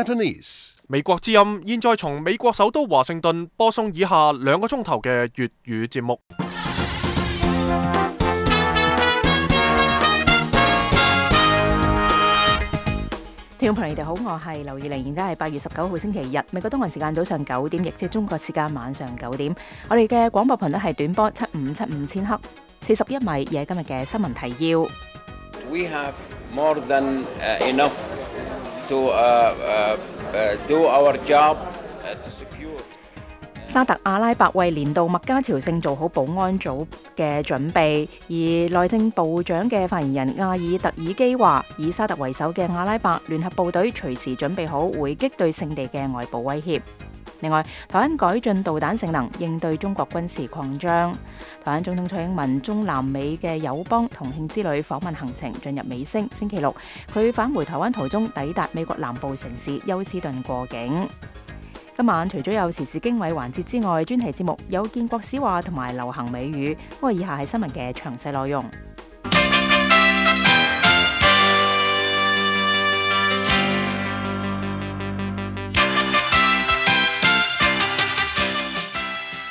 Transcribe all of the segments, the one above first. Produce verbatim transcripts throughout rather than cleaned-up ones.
Cantonese. 美國之音現在從美國首都華盛頓播送以下兩個鐘頭嘅粵語節目。聽眾朋友，你哋好，我係劉月玲，而家係八月十九號星期日，美國東岸時間早上九點，亦即係中國時間晚上九點。我哋嘅廣播頻率係短波七五七五千克，四十一米，而係今日嘅新聞提要。We have more than uh, enough to uh, uh, uh, do our job uh, to secure. 沙特阿拉伯為年度麥加朝聖做好保安組嘅準備，而內政部長嘅發言人亞爾特爾基話，以沙特為首嘅阿拉伯聯合部隊隨時準備好回擊對聖地嘅外部威脅。另外，台灣改進導彈性能，應對中國軍事擴張。台灣總統蔡英文中南美嘅友邦同慶之旅訪問行程進入尾聲，星期六佢返回台灣途中抵達美國南部城市休斯頓過境。今晚除咗有時事經緯環節之外，專題節目有建國史話同埋流行美語。不過以下係新聞嘅詳細內容。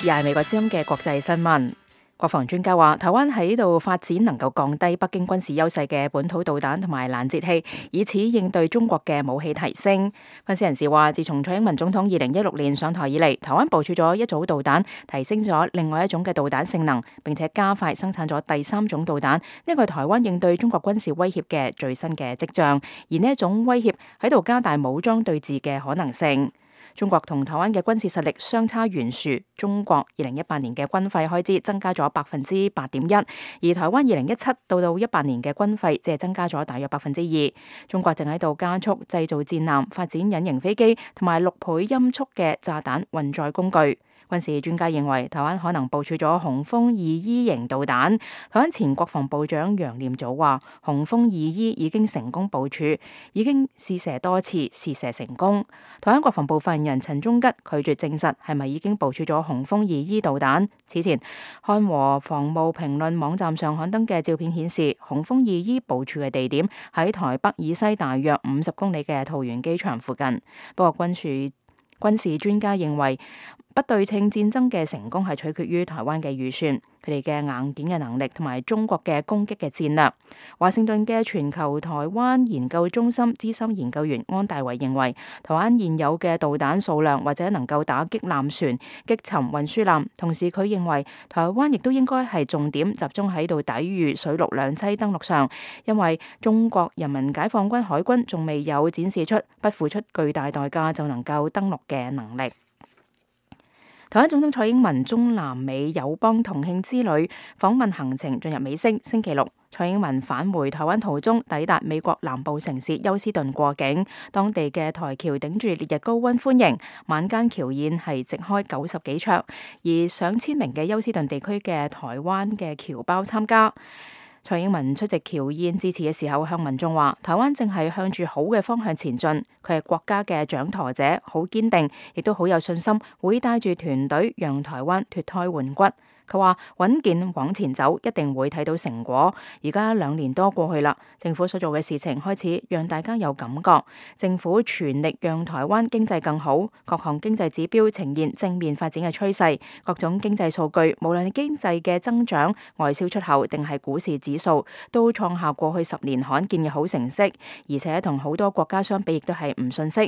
而係美國之音嘅國際新聞。國防專家話，台灣喺度發展能夠降低北京軍事優勢嘅本土導彈同埋攔截器，以此應對中國嘅武器提升。分析人士話，自從蔡英文總統二零一六年上台以嚟，台灣部署咗一組導彈，提升咗另外一種嘅導彈性能，並且加快生產咗第三種導彈。呢個係台灣應對中國軍事威脅嘅最新嘅跡象，而呢一種威脅喺度加大武裝對峙嘅可能性。中國同台灣嘅軍事實力相差懸殊，中國二零一八年嘅軍費開支增加咗百分之八點一，而台灣二零一七到到一八年嘅軍費只係增加咗大約百分之二。中國正喺度加速製造戰艦、發展隱形飛機同埋六倍音速嘅炸彈運載工具。軍事專家認為，台灣可能部署咗雄風二 E 型導彈。台灣前國防部長楊念祖話，雄風二 E 已經成功部署，已經試射多次，試射成功。台灣國防部發言人陳忠吉拒絕證實係咪已經部署咗雄風二 E 導彈。此前，漢和防務評論網站上刊登嘅照片顯示，雄風二 E 部署嘅地點喺台北以西大約五十公里嘅桃園機場附近。不過軍事軍事專家認為，不對稱戰爭嘅成功係取決於台灣嘅預算、佢哋嘅硬件嘅能力同埋中國嘅攻擊嘅戰略。華盛頓嘅全球台灣研究中心資深研究員安大維認為，台灣現有嘅導彈數量或者能夠打擊艦船、擊沉運輸艦。同時，佢認為台灣亦都應該係重點集中喺度抵禦水陸兩棲登陸上，因為中國人民解放軍海軍仲未有展示出不付出巨大代價就能夠登陸嘅能力。台灣總統蔡英文中南美友邦同慶之旅訪問行程進入尾聲，星期六蔡英文返回台灣途中抵達美國南部城市休斯頓過境，當地嘅台僑頂住烈日高溫歡迎，晚間僑宴係席開九十幾桌，而上千名嘅休斯頓地區嘅台灣嘅僑胞參加。蔡英文出席僑宴致辭嘅時候，向民眾話：台灣正係向住好嘅方向前進，佢係國家嘅掌舵者，好堅定，亦都好有信心，會帶住團隊讓台灣脫胎換骨。佢話穩健往前走，一定會睇到成果。而家兩年多過去啦，政府所做嘅事情開始讓大家有感覺。政府全力讓台灣經濟更好，各項經濟指標呈現正面發展嘅趨勢，各種經濟數據，無論係經濟嘅增長、外銷出口定係股市指數，都創下過去十年罕見嘅好成績，而且同好多國家相比，亦都係唔遜色。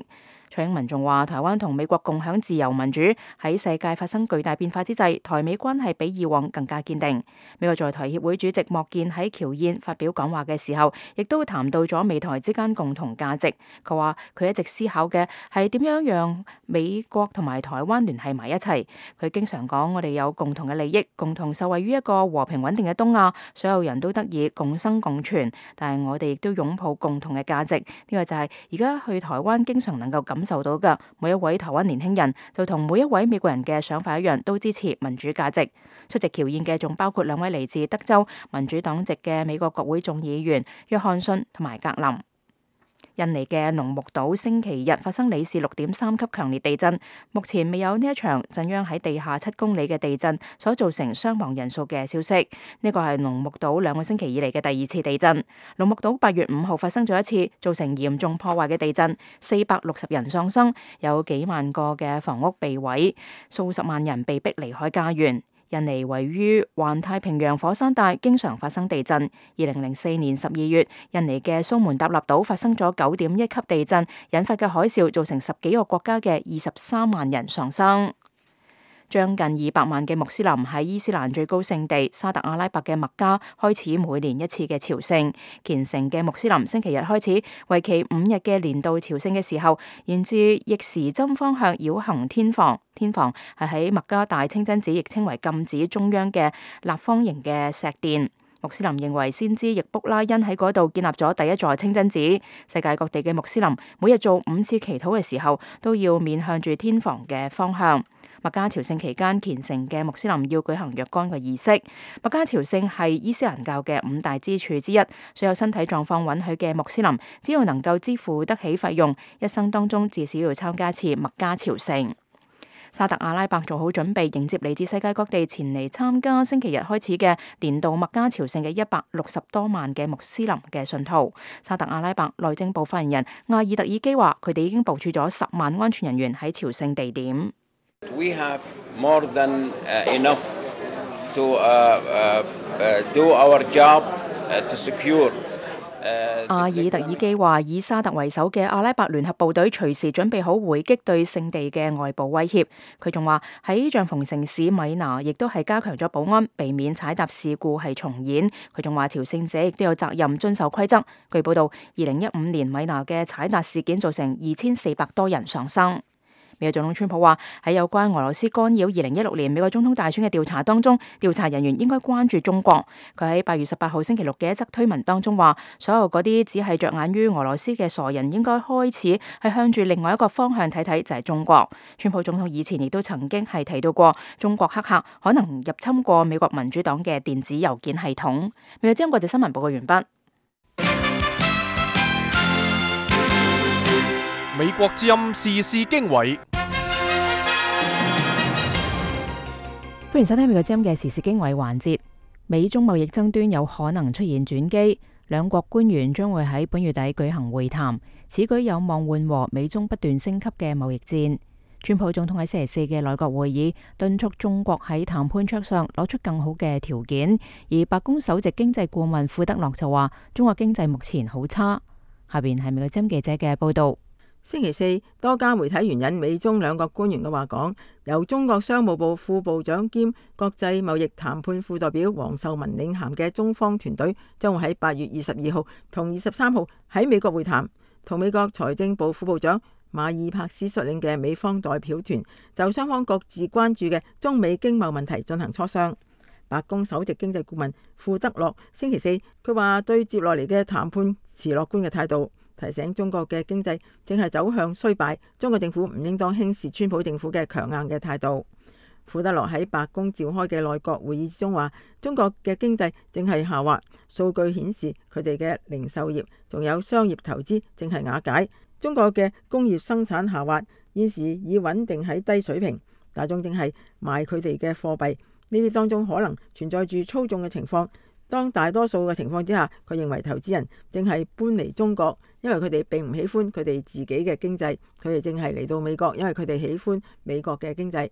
蔡英文仲話：台灣同美國共享自由民主，喺世界發生巨大變化之際，台美關係比以往更加堅定。美國在台協會主席莫健喺僑宴發表講話嘅時候，亦都談到咗美台之間共同價值。佢話佢一直思考嘅係點樣讓美國同埋台灣聯繫埋一齊。佢經常講：我哋有共同嘅利益，共同受惠於一個和平穩定嘅東亞，所有人都得以共生共存。但係我哋亦都擁抱共同嘅價值。呢個就係而家去台灣經常能夠感受到嘅。每一位台灣年輕人就同每一位美國人嘅想法一樣，都支持民主價值。出席僑宴嘅仲包括兩位嚟自德州民主黨籍嘅美國國會眾議員約翰遜同埋格林。印尼嘅龍目島星期日發生里氏六點三級強烈地震，目前未有呢一場震央喺地下七公里嘅地震所造成傷亡人數嘅消息。呢個係龍目島兩個星期以嚟嘅第二次地震。龍目島八月五號發生咗一次造成嚴重破壞嘅地震，四百六十人喪生，有幾萬個嘅房屋被毀，數十萬人被逼離開家園。印尼位於環太平洋火山帶，經常發生地震。二零零四年十二月，印尼嘅蘇門答臘島發生咗九點一級地震，引發嘅海嘯造成十幾個國家嘅二十三萬人喪生。將近二百萬嘅穆斯林喺伊斯蘭最高聖地沙特阿拉伯嘅麥加開始每年一次嘅朝聖。虔誠嘅穆斯林星期日開始為期五日嘅年度朝聖嘅時候，沿住逆時針方向繞行天房。天房係喺麥加大清真寺，亦稱為禁寺中央嘅立方形嘅石殿。穆斯林認為先知易卜拉欣喺嗰度建立咗第一座清真寺。世界各地嘅穆斯林每日做五次祈禱嘅時候，都要面向住天房嘅方向。麥加朝聖期間，虔誠嘅穆斯林要舉行若干嘅儀式。麥加朝聖係伊斯蘭教嘅五大支柱之一，所有身體狀況允許嘅穆斯林，只要能夠支付得起費用，一生當中至少要參加一次麥加朝聖。沙特阿拉伯做好準備迎接嚟自世界各地前嚟參加星期日開始嘅年度麥加朝聖嘅一百六十多萬嘅穆斯林嘅信徒。沙特阿拉伯內政部發言人阿爾特爾基話，佢哋已經部署咗十萬安全人員喺朝聖地點。We have more than uh, enough to uh, uh, uh, do our job uh, to secure. 阿爾特爾基話，以沙特為首嘅阿拉伯聯合部隊隨時準備好回擊對聖地嘅外部威脅。佢仲話喺帳篷城市米拿亦都係加強咗保安，避免踩踏事故係重演。佢仲話朝聖者亦都有責任遵守規則。據報道，二零一五年米拿嘅踩踏事件造成二千四百多人喪生。美國總統川普話喺有關俄羅斯干擾二零一六年美國總統大選嘅調查當中，調查人員應該關注中國。佢喺八月十八號星期六嘅一則推文當中話，所有嗰啲只係着眼於俄羅斯嘅傻人應該開始係向住另外一個方向睇睇，就係中國。川普總統以前亦都曾經係提到過，中國黑客可能入侵過美國民主黨嘅電子郵件系統。美國之音國際新聞報告完畢。美國之音時事經緯。歡迎收聽美國之音嘅時事經緯環節。美中貿易爭端有可能出現轉機，兩國官員將會喺本月底舉行會談，此舉有望緩和美中不斷升級嘅貿易戰。川普總統喺星期四嘅內閣會議敦促中國喺談判桌上攞出更好嘅條件，而白宮首席經濟顧問庫德洛就話中國經濟目前好差。下邊係美國之音記者嘅報道。星期四，多家媒體援引美中兩國官員嘅話講，由中國商務部副部長兼國際貿易談判副代表黃秀文領銜嘅中方團隊，將會喺八月二十二號同二十三號喺美國會談，同美國財政部副部長馬爾帕斯率領嘅美方代表團就雙方各自關注嘅中美經貿問題進行磋商。白宮首席經濟顧問庫德洛星期四佢話對接落嚟嘅談判持樂觀嘅態度，提醒中國嘅經濟正係走向衰敗，中國政府唔應當輕視川普政府嘅強硬嘅態度。庫德洛喺白宮召開嘅內閣會議之中話，中國嘅經濟正係下滑，數據顯示佢哋嘅零售業仲有商業投資正係瓦解，中國嘅工業生產下滑，現時已穩定喺低水平，大眾正係賣佢哋嘅貨幣，呢啲當中可能存在住操縱嘅情況。當大多數嘅情況之下，佢認為投資人正係搬離中國，因為佢哋並唔喜歡佢哋自己嘅經濟，佢哋正係嚟到美國，因為佢哋喜歡美國嘅經濟。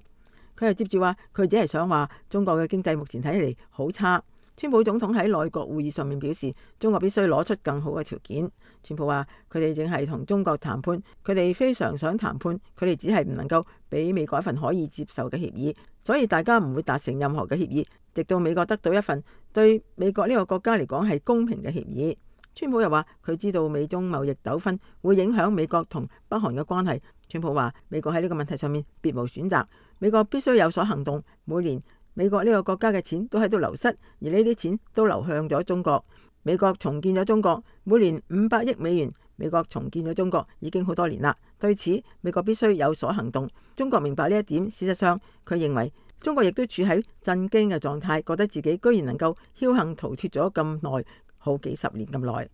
佢又接住話，佢只係想話中國嘅經濟目前睇起嚟好差。川普總統喺內閣會議上面表示，中國必須攞出更好嘅條件。川普話佢哋正係同中國談判，佢哋非常想談判，佢哋只係唔能夠俾美國一份可以接受嘅協議，所以大家唔會達成任何嘅協議，直到美國得到一份對美國呢個國家嚟講係公平嘅協議。川普又話佢知道美中貿易糾紛會影響美國同北韓嘅關係。川普話美國喺呢個問題上面別無選擇，美國必須有所行動。每年美國呢個國家嘅錢都喺度流失，而呢啲錢都流向咗中國。美國重建咗中國，每年五百億美元。美國重建咗中國已經好多年啦，對此美國必須有所行動。中國明白呢一點，事實上佢認為中國亦都處喺震驚嘅狀態，覺得自己居然能夠僥倖逃脫咗咁耐，好幾十年咁耐。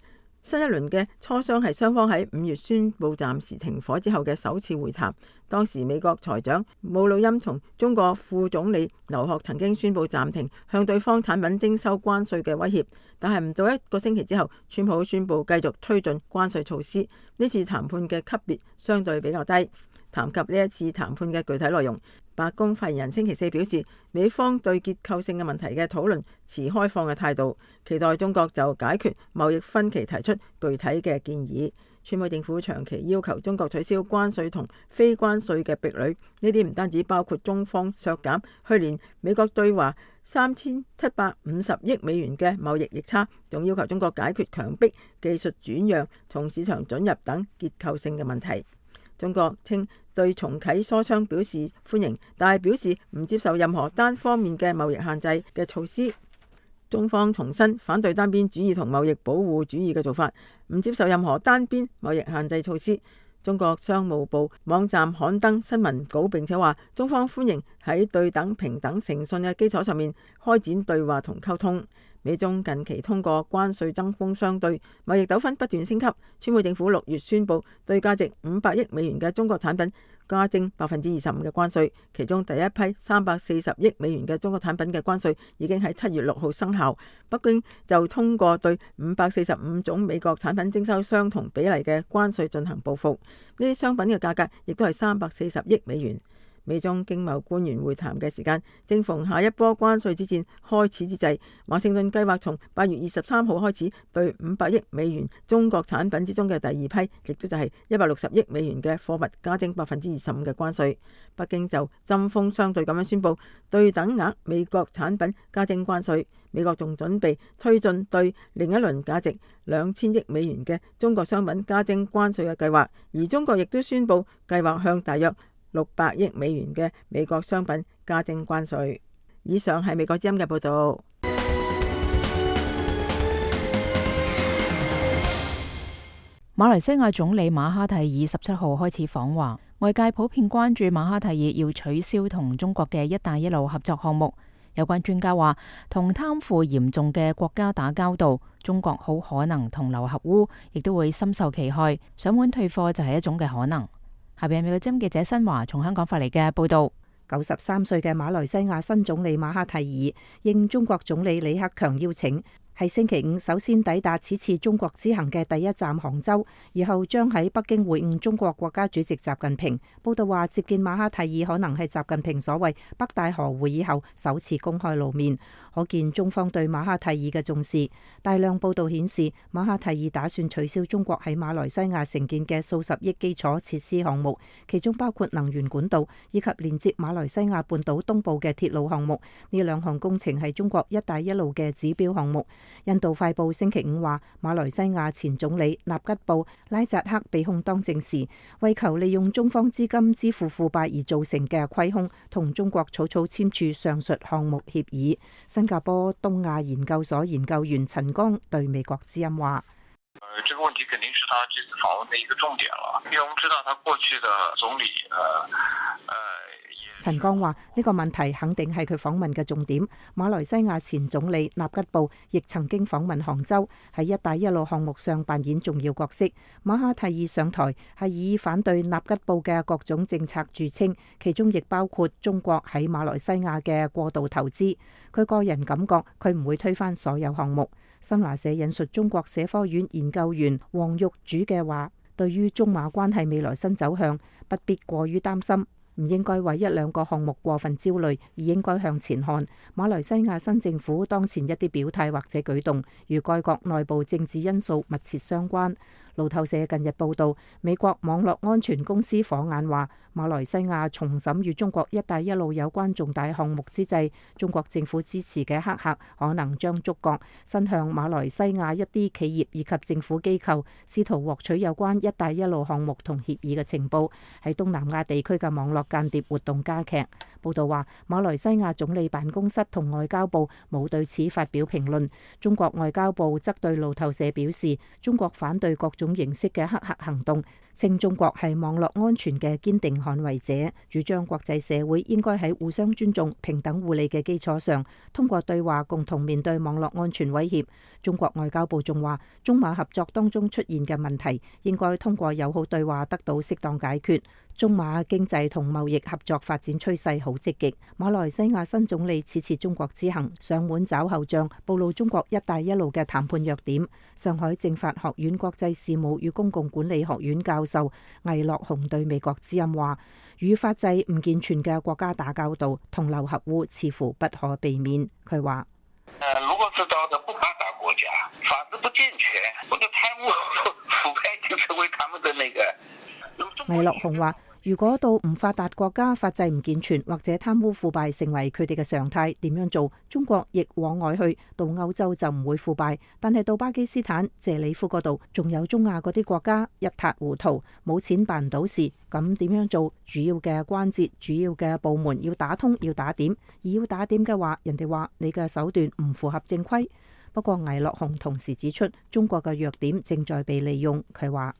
新一輪嘅磋商係雙方喺五月宣布暫時停火之後嘅首次會談。當時美國財長姆努欽同中國副總理劉鶴曾經宣布暫停向對方產品徵收關稅嘅威脅，但係唔到一個星期之後，川普宣布繼續推進關稅措施。呢次談判嘅級別相對比較低。談及呢一次談判嘅具體內容，白宮發言人星期四表示，美方對結構性嘅問題嘅討論持開放嘅態度，期待中國就解決貿易分歧提出具體嘅建議。川普政府長期要求中國取消關稅同非關稅嘅壁壘，呢啲唔單止包括中方削減去年美國對華三千七百五十億美元嘅貿易逆差，仲要求中國解決強迫技術轉讓同市場准入等結構性嘅問題。中國稱對重啟磋商表示歡迎，但係表示唔接受任何單方面嘅貿易限制嘅措施。中方重申反對單邊主義同貿易保護主義嘅做法，唔接受任何單邊貿易限制措施。中國商務部網站刊登新聞稿，並且話中方歡迎喺對等、平等、誠信嘅基礎上面開展對話同溝通。美中近期通過關稅針鋒相對，貿易糾紛不斷升級。川普政府六月宣布對價值五百億美元嘅中國產品加徵百分之二十五嘅關稅，其中第一批三百四十億美元嘅中國產品嘅關稅已經喺七月六號生效。北京就通過對五百四十五種美國產品徵收相同比例嘅關稅進行報復，呢啲商品嘅價格亦都係三百四十億美元。美中經貿官員會談嘅時間正逢下一波關稅之戰開始之際，華盛頓計劃從八月二十三號開始對五百億美元中國產品之中嘅第二批，亦都就係一百六十億美元嘅貨物加徵百分之二十五嘅關稅。北京就針鋒相對咁樣宣布對等額美國產品加徵關稅。美國仲準備推進對另一輪價值兩千億美元嘅中國商品加徵關稅嘅計劃，而中國亦都宣布計劃向大約六百億美元嘅美國商品加徵關稅。以上係美國之音嘅報導。馬來西亞總理馬哈蒂爾十七號開始訪華，外界普遍關注馬哈蒂爾要取消同中國嘅一帶一路合作項目。有關專家話，同貪腐嚴重嘅國家打交道，中國好可能同流合污，亦都會深受其害。上門退貨就係一種嘅可能。下邊係美國之音記者新華從香港發嚟嘅報道。九十三歲嘅馬來西亞新總理馬哈蒂爾應中國總理李克強邀請，係星期五首先抵達此次中國之行嘅第一站杭州，以後將喺北京會晤中國國家主席習近平。報道話，接見馬哈蒂爾可能係習近平所謂北戴河會議後首次公開露面，可見中方對馬哈蒂爾嘅重視。大量報道顯示，馬哈蒂爾打算取消中國喺馬來西亞承建嘅數十億基礎設施項目，其中包括能源管道以及連接馬來西亞半島東部嘅鐵路項目。呢兩項工程係中國一帶一路嘅指標項目。印度快報星期五話，馬來西亞前總理納吉布拉扎克被控當政時，為求利用中方資金支付腐敗而造成嘅虧空，同中國草草簽署上述項目協議。新加坡東亞研究所研究員陳剛對美國之音話：呃，這個問題肯定是他這次訪問的一個重點了，因為我們知道他過去的總理，呃，呃。陳剛話：呢個問題肯定係佢訪問嘅重點。馬來西亞前總理納吉布亦曾經訪問杭州，喺一帶一路項目上扮演重要角色。馬哈蒂爾上台係以反對納吉布嘅各種政策著稱，其中亦包括中國喺馬來西亞嘅過度投資。佢個人感覺佢唔會推翻所有項目。新華社引述中國社科院研究員黃玉主嘅話：對於中馬關係未來新走向，不必過於擔心。唔應該為一兩個項目過分焦慮，而應該向前看。馬來西亞新政府當前一啲表態或者舉動，與該國內部政治因素密切相關。路透社近日報導，美國網絡安全公司火眼話，馬來西亞重審與中國一帶一路有關重大項目之際，中國政府支持嘅黑客可能將觸角伸向馬來西亞一啲企業以及政府機構，試圖獲取有關一帶一路項目同協議嘅情報。喺東南亞地區嘅網絡間諜活動加劇。報導話，馬來西亞總理辦公室同外交部冇對此發表評論。中國外交部則對路透社表示，中國反對各種形式嘅黑客行動，稱中國係網絡安全嘅堅定捍衛者，主張國際社會應該喺互相尊重、平等互利嘅基礎上，通過對話共同面對網絡安全威脅。中國外交部仲話，中馬合作當中出現嘅問題，應該通過友好對話得到適當解決。中馬經濟同貿易合作發展趨勢好積極。馬來西亞新總理此次中國之行上門找後帳，暴露中國一帶一路嘅談判弱點。上海政法學院國際事務與公共管理學院教授魏樂雄對美國之音話，與法制唔健全嘅國家打交道，同流合污似乎不可避免。佢話：如果是到的不發達國家，法制不健全，或者貪污腐敗就成為他們的那個。魏樂雄話：如果到唔發達國家，法制唔健全或者貪污腐敗成為佢哋嘅常態，點樣做？中國亦往外去，到歐洲就唔會腐敗，但係到巴基斯坦、謝里夫嗰度，仲有中亞嗰啲國家一塌糊塗，冇錢辦唔到事，咁點樣做？主要嘅關節、主要嘅部門要打通，要打點，而要打點嘅話，人哋話你嘅手段唔符合正規。不過魏樂雄同時指出，中國嘅弱點正在被利用。佢話：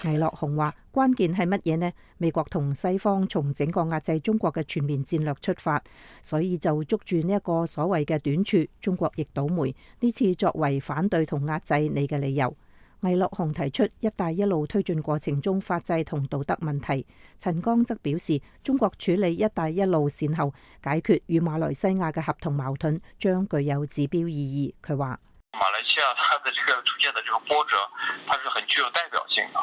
魏樂雄話：關鍵係乜嘢呢？美國同西方從整個壓制中國嘅全面戰略出發，所以就捉住呢一個所謂嘅短處，中國亦倒霉。呢次作為反對同壓制你嘅理由。魏樂雄提出一帶一路推進過程中法制同道德問題。陳剛則表示，中國處理一帶一路善後，解決與馬來西亞嘅合同矛盾，將具有指標意義。佢話：馬來西亞它的這個出現的這個波折，它是很具有代表性的。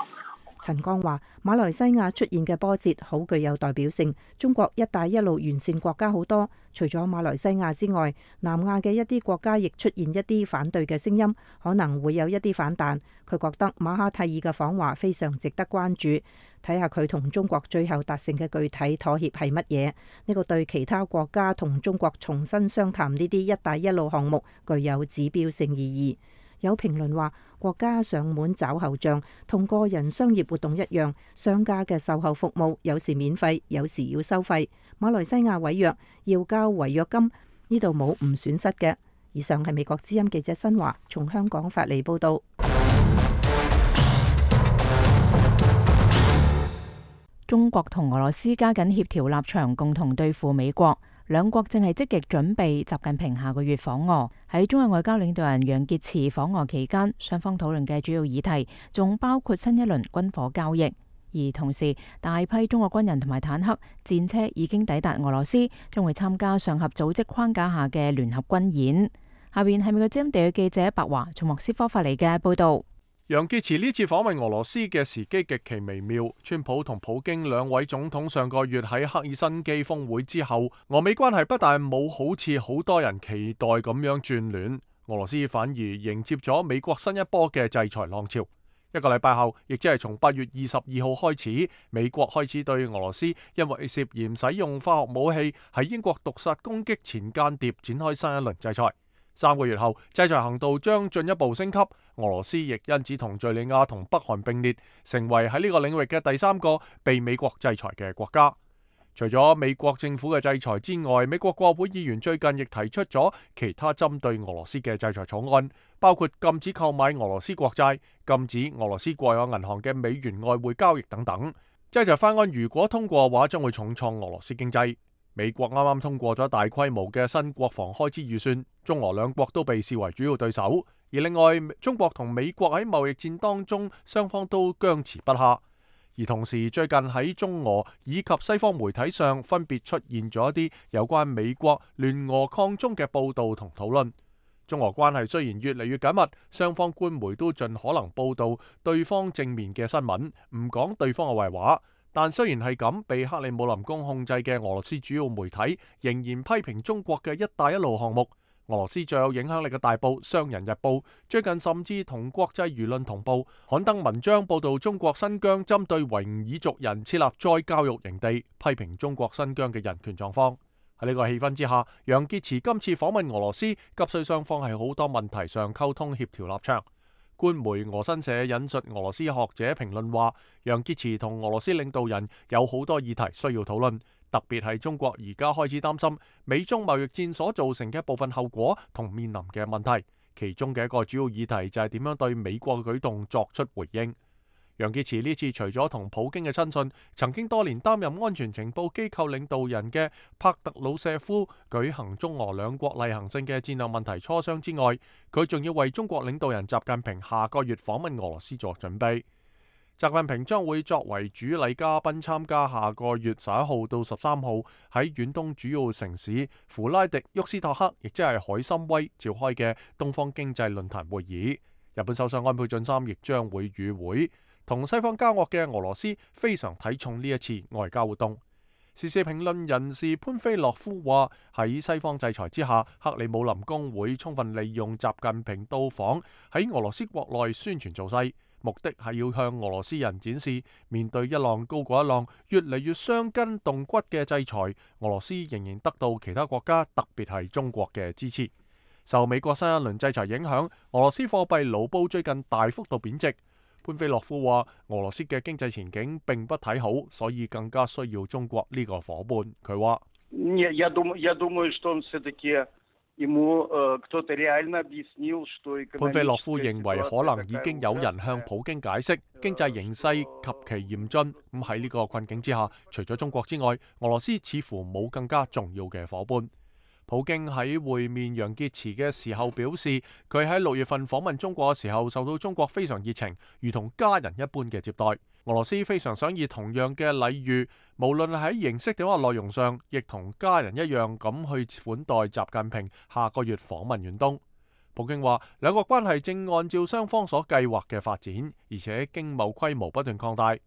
陳剛話：馬來西亞出現嘅波折好具有代表性。中國一帶一路沿線國家好多，除咗馬來西亞之外，南亞嘅一啲國家亦出現一啲反對嘅聲音，可能會有一啲反彈。佢覺得馬哈蒂爾嘅訪華非常值得關注，睇下佢同中國最後達成嘅具體妥協係乜嘢。呢個對其他國家同中國重新商談呢啲一帶一路項目具有指標性意義。有評論話，國家上門找後帳，同個人商業活動一樣，商家嘅售後服務有時免費，有時要收費。馬來西亞違約要交違約金，呢度冇唔損失嘅。以上係美國之音記者新華從香港發嚟報道。中國同俄羅斯加緊協調立場，共同對付美國。兩國正係積極準備習近平下個月訪俄。喺中日外交領導人楊潔篪訪俄期間，雙方討論嘅主要議題仲包括新一輪軍火交易。而同時，大批中國軍人同埋坦克、戰車已經抵達俄羅斯，將會參加上合組織框架下嘅聯合軍演。下邊係美國之音地嘅記者白華從莫斯科發嚟嘅報道。楊潔篪呢次訪問俄羅斯嘅時機極其微妙。川普同普京兩位總統上個月喺赫爾辛基峰會之後，俄美關係不但冇好似好多人期待咁樣轉暖，俄羅斯反而迎接咗美國新一波嘅制裁浪潮。一個禮拜後，亦即係從八月二十二號開始，美國開始對俄羅斯因為涉嫌使用化學武器喺英國毒殺攻擊前間諜展開新一輪制裁。三個月後，制裁行動將進一步升級，俄羅斯亦因此同敘利亞同北韓並列，成為喺呢個領域嘅第三個被美國制裁嘅國家。除咗美國政府嘅制裁之外，美國國會議員最近亦提出咗其他針對俄羅斯嘅制裁草案，包括禁止購買俄羅斯國債、禁止俄羅斯國有銀行嘅美元外匯交易等等。制裁法案如果通過嘅話，將會重創俄羅斯經濟。美國啱啱通過咗大規模嘅新國防開支預算，中俄兩國都被視為主要對手。而另外，中國同美國喺貿易戰當中，雙方都僵持不下。而同時，最近喺中俄以及西方媒體上，分別出現咗一啲有關美國聯俄抗中嘅報導同討論。中俄關係雖然越嚟越緊密，雙方官媒都盡可能報導對方正面嘅新聞，唔講對方嘅壞話。但雖然係咁，被克里姆林宮控制嘅俄羅斯主要媒體仍然批評中國嘅一帶一路項目。俄羅斯最有影響力嘅大報《商人日報》最近甚至同國際輿論同步刊登文章，報道中國新疆針對維吾爾族人設立再教育營地，批評中國新疆嘅人權狀況。喺呢個氣氛之下，楊潔篪今次訪問俄羅斯，急需雙方喺好多問題上溝通協調立場。官媒俄新社引述俄羅斯學者評論話，楊潔篪同俄羅斯領導人有好多議題需要討論，特別係中國而家開始擔心美中貿易戰所造成嘅部分後果同面臨嘅問題，其中嘅一個主要議題就係點樣對美國嘅舉動作出回應。楊潔篪呢次除咗同普京嘅親信，曾經多年擔任安全情報機構領導人嘅帕特魯舍夫舉行中俄兩國例行性嘅戰略問題磋商之外，佢仲要為中國領導人習近平下個月訪問俄羅斯作準備。習近平將會作為主禮嘉賓參加下個月十一號到十三號喺遠東主要城市弗拉迪沃斯托克，亦即係海參崴召開嘅東方經濟論壇會議。日本首相安倍晉三亦將會與會。同西方交惡嘅俄羅斯非常睇重呢一次外交活動。時事評論人士潘菲洛夫話：喺西方制裁之下，克里姆林宮會充分利用習近平到訪喺俄羅斯國內宣傳造勢，目的係要向俄羅斯人展示，面對一浪高過一浪、越嚟越傷筋動骨嘅制裁，俄羅斯仍然得到其他國家，特別係中國嘅支持。受美國新一輪制裁影響，俄羅斯貨幣盧布最近大幅度貶值。潘菲洛夫話：俄羅斯嘅經濟前景並不睇好，所以更加需要中國呢個夥伴。佢話：潘菲洛夫認為可能已經有人向普京解釋經濟形勢及其嚴峻。咁喺呢個困境之下，除咗中國之外，俄羅斯似乎冇更加重要嘅夥伴。普京喺會面楊潔篪嘅時候表示，佢喺六月份訪問中國嘅時候，受到中國非常熱情，如同家人一般嘅接待。俄羅斯非常想以同樣嘅禮遇，無論喺形式定或內容上，亦同家人一樣咁去款待習近平下個月訪問遠東。普京話，兩國關係正按照雙方所計劃嘅發展，而且經貿規模不斷擴大。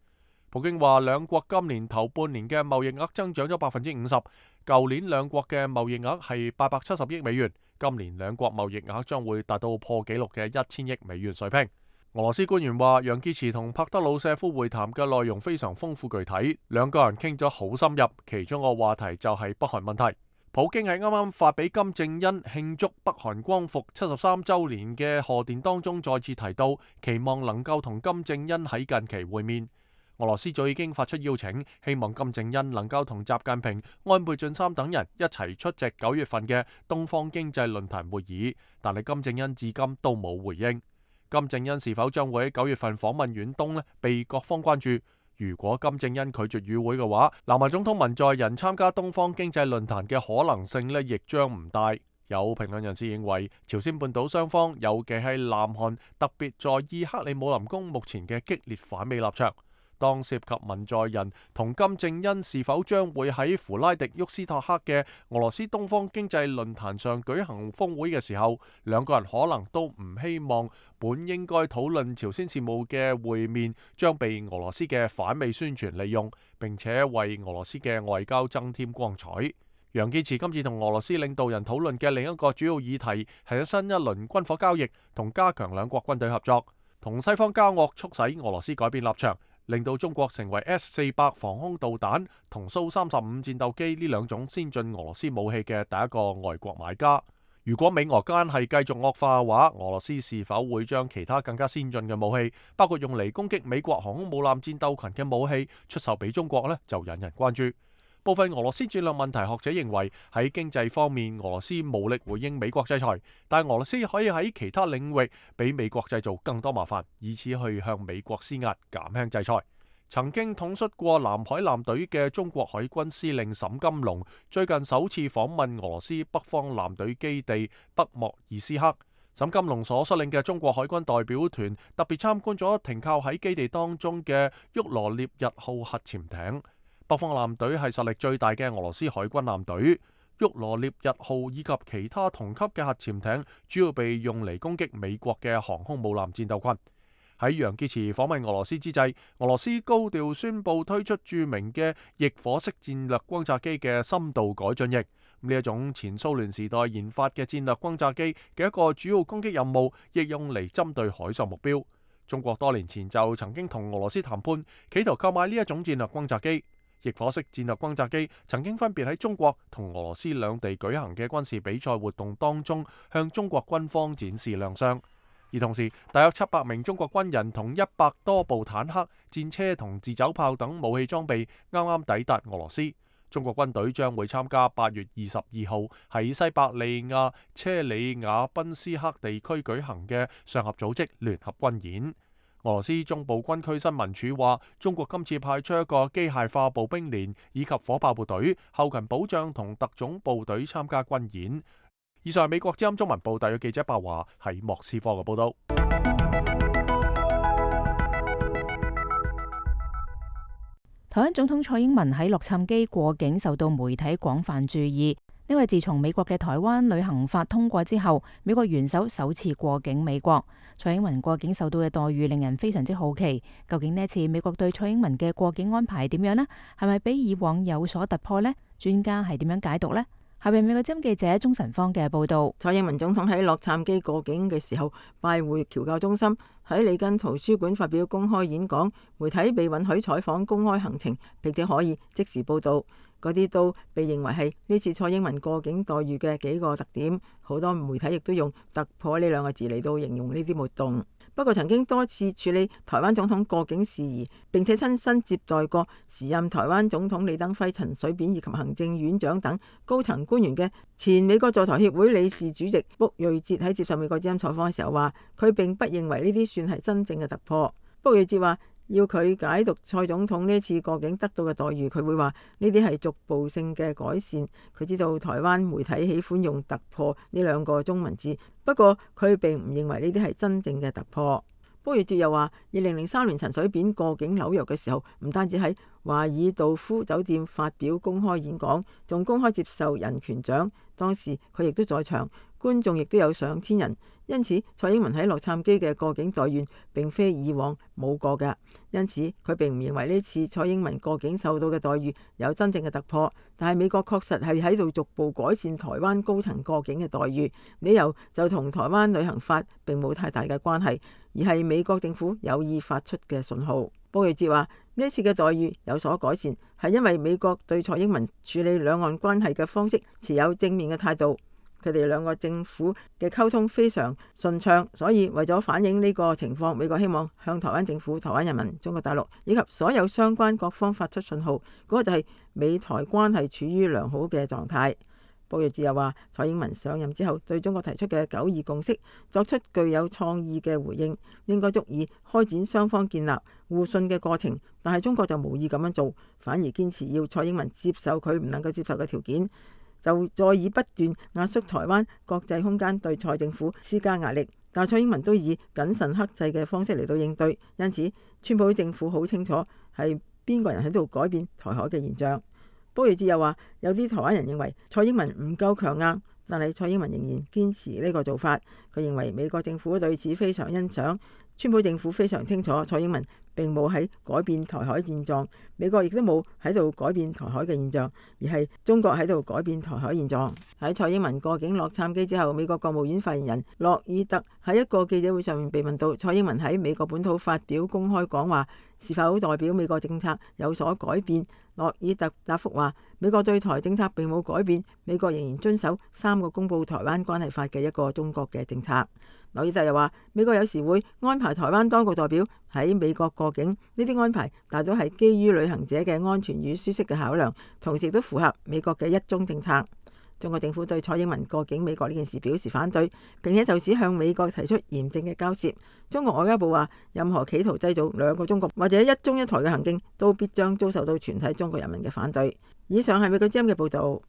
普京話，兩國今年頭半年嘅貿易額增長咗百分之五十。舊年兩國嘅貿易額係八百七十億美元，今年兩國貿易額將會達到破紀錄嘅一千億美元水平。俄羅斯官員話，楊潔篪同帕德魯舍夫會談嘅內容非常豐富具體，兩個人傾咗好深入，其中個話題就係北韓問題。普京喺啱啱發俾金正恩慶祝北韓光復七十三週年嘅賀電當中再次提到，期望能夠同金正恩喺近期會面。俄羅斯早已經發出邀請，希望金正恩能夠同習近平、安倍晉三等人一齊出席九月份嘅東方經濟論壇會議，但係金正恩至今都冇回應。金正恩是否將會喺九月份訪問遠東呢？被各方關注。如果金正恩拒絕與會嘅話，南韓總統文在寅參加東方經濟論壇嘅可能性呢，亦將唔大。有評論人士認為，朝鮮半島雙方，尤其係南韓，特別在意克里姆林宮目前嘅激烈反美立場。當涉及文在寅同金正恩是否將會喺弗拉迪沃斯托克嘅俄羅斯東方經濟論壇上舉行峰會嘅時候，兩個人可能都唔希望本應該討論朝鮮事務嘅會面將被俄羅斯嘅反美宣傳利用，並且為俄羅斯嘅外交增添光彩。楊潔篪今次同俄羅斯領導人討論嘅另一個主要議題係新一輪軍火交易同加強兩國軍隊合作，同西方交惡，促使俄羅斯改變立場，令到中國成為 S 四百防空導彈同蘇三十五戰鬥機呢兩種先進俄羅斯武器嘅第一個外國買家。如果美俄間係繼續惡化嘅話，俄羅斯是否會將其他更加先進嘅武器，包括用嚟攻擊美國航空母艦戰鬥群嘅武器出售俾中國呢？就引人關注。部分俄羅斯戰略問題學者認為，喺經濟方面，俄羅斯無力回應美國制裁，但俄羅斯可以喺其他領域俾美國製造更多麻煩，以此去向美國施壓，減輕制裁。曾經統率過南海艦隊嘅中國海軍司令沈金龍最近首次訪問俄羅斯北方艦隊基地北莫爾斯克。沈金龍所率領嘅中國海軍代表團特別參觀咗停靠喺基地當中嘅沃羅涅日號核潛艇。北方艦隊係實力最大嘅俄羅斯海軍艦隊，沃羅涅日號以及其他同級嘅核潛艇主要被用嚟攻擊美國嘅航空母艦戰鬥群。喺楊潔篪訪問俄羅斯之際，俄羅斯高調宣布推出著名嘅翼火式戰略轟炸機嘅深度改進翼。呢一種前蘇聯時代研發嘅戰略轟炸機嘅一個主要攻擊任務，亦用嚟針對海上目標。中國多年前就曾經同俄羅斯談判，企圖購買呢一種戰略轟炸機。翼火式戰略轟炸機曾經分別喺中國同俄羅斯兩地舉行嘅軍事比賽活動當中，向中國軍方展示亮相。而同時，大約七百名中國軍人同一百多部坦克、戰車同自走炮等武器裝備啱啱抵達俄羅斯。中國軍隊將會參加八月二十二號喺西伯利亞車里亞賓斯克地區舉行嘅上合組織聯合軍演。俄羅斯中部軍區新聞處話，中國今次派出一個機械化步兵連以及火炮部隊、後勤保障同特種部隊參加軍演。以上係美國之音中文部特約記者白華喺莫斯科嘅報道。台灣總統蔡英文喺洛杉磯過境受到媒體廣泛注意，因為自從美國嘅台灣旅行法通過之後，美國元首首次過境美國。蔡英文過境受到嘅待遇令人非常之好奇，究竟呢一次美國對蔡英文嘅過境安排點樣呢？係咪比以往有所突破呢？專家係點樣解讀呢？下邊美國之音記者鍾晨芳嘅報道。蔡英文總統喺洛杉磯過境嘅時候，拜會僑教中心，喺里根圖書館發表公開演講，媒體被允許採訪公開行程，並且可以即時報道。嗰啲都被認為係呢次蔡英文過境待遇嘅幾個特點，好多媒體亦都用突破呢兩個字嚟到形容呢啲活動。不過曾經多次處理台灣總統過境事宜，並且親身接待過時任台灣總統李登輝、陳水扁以及行政院長等高層官員嘅前美國在台協會理事主席卜瑞哲喺接受美國之音採訪嘅時候話，佢並不認為呢啲算係真正嘅突破。卜瑞哲話，要佢解讀蔡總統呢次過境得到嘅待遇，佢會話呢啲係逐步性嘅改善。佢知道台灣媒體喜歡用突破呢兩個中文字，不過佢並唔認為呢啲係真正嘅突破。卜瑞哲又話，二零零三年陳水扁過境紐約嘅時候，唔單止喺華爾道夫酒店發表公開演講，仲公開接受人權獎。當時佢亦都在場，觀眾亦都有上千人。因此，蔡英文喺洛杉磯嘅過境待遇並非以往冇過嘅。因此，佢並唔認為呢次蔡英文過境受到嘅待遇有真正嘅突破。但係美國確實係喺度逐步改善台灣高層過境嘅待遇，理由就同台灣旅行法並冇太大嘅關係，而係美國政府有意發出嘅信號。卜瑞哲話：呢次嘅待遇有所改善，係因為美國對蔡英文處理兩岸關係嘅方式持有正面嘅態度。佢哋兩個政府嘅溝通非常順暢，所以為咗反映呢個情況，美國希望向台灣政府、台灣人民、中國大陸以及所有相關各方發出信號，嗰、那個就係美台關係處於良好嘅狀態。卜瑞哲又話，蔡英文上任之後對中國提出嘅九二共識作出具有創意嘅回應，應該足以開展雙方建立互信嘅過程。但係中國就無意咁樣做，反而堅持要蔡英文接受佢唔能夠接受嘅條件，就再以不斷壓縮台灣國際空間對蔡政府施加壓力。但蔡英文都以謹慎克制嘅方式嚟到應對，因此川普政府好清楚係邊個人喺度改變台海嘅現象。卜瑞哲又話，有啲台灣人認為蔡英文唔夠強硬，但係蔡英文仍然堅持呢個做法。佢認為美國政府對此非常欣賞，川普政府非常清楚蔡英文並冇喺改變台海現狀，美國亦都冇喺度改變台海嘅現象，而係中國喺度改變台海現狀。喺蔡英文過境洛杉磯之後，美國國務院發言人洛爾特喺一個記者會上面被問到蔡英文喺美國本土發表公開講話是否代表美國政策有所改變，洛爾特答覆話，美國對台政策並冇改變，美國仍然遵守三個公佈台灣關係法嘅一個中國嘅政策。洛爾特又話，美國有時會安排台灣當局代表喺美國過境，呢啲安排大多係基於旅行者嘅安全與舒適嘅考量，同時都符合美國嘅一中政策。中國政府對蔡英文過境美國呢件事表示反對，並且就此向美國提出嚴正嘅交涉。中國外交部話，任何企圖製造兩個中國或者一中一台嘅行徑，都必將遭受到全體中國人民嘅反對。以上係美國之音嘅報導。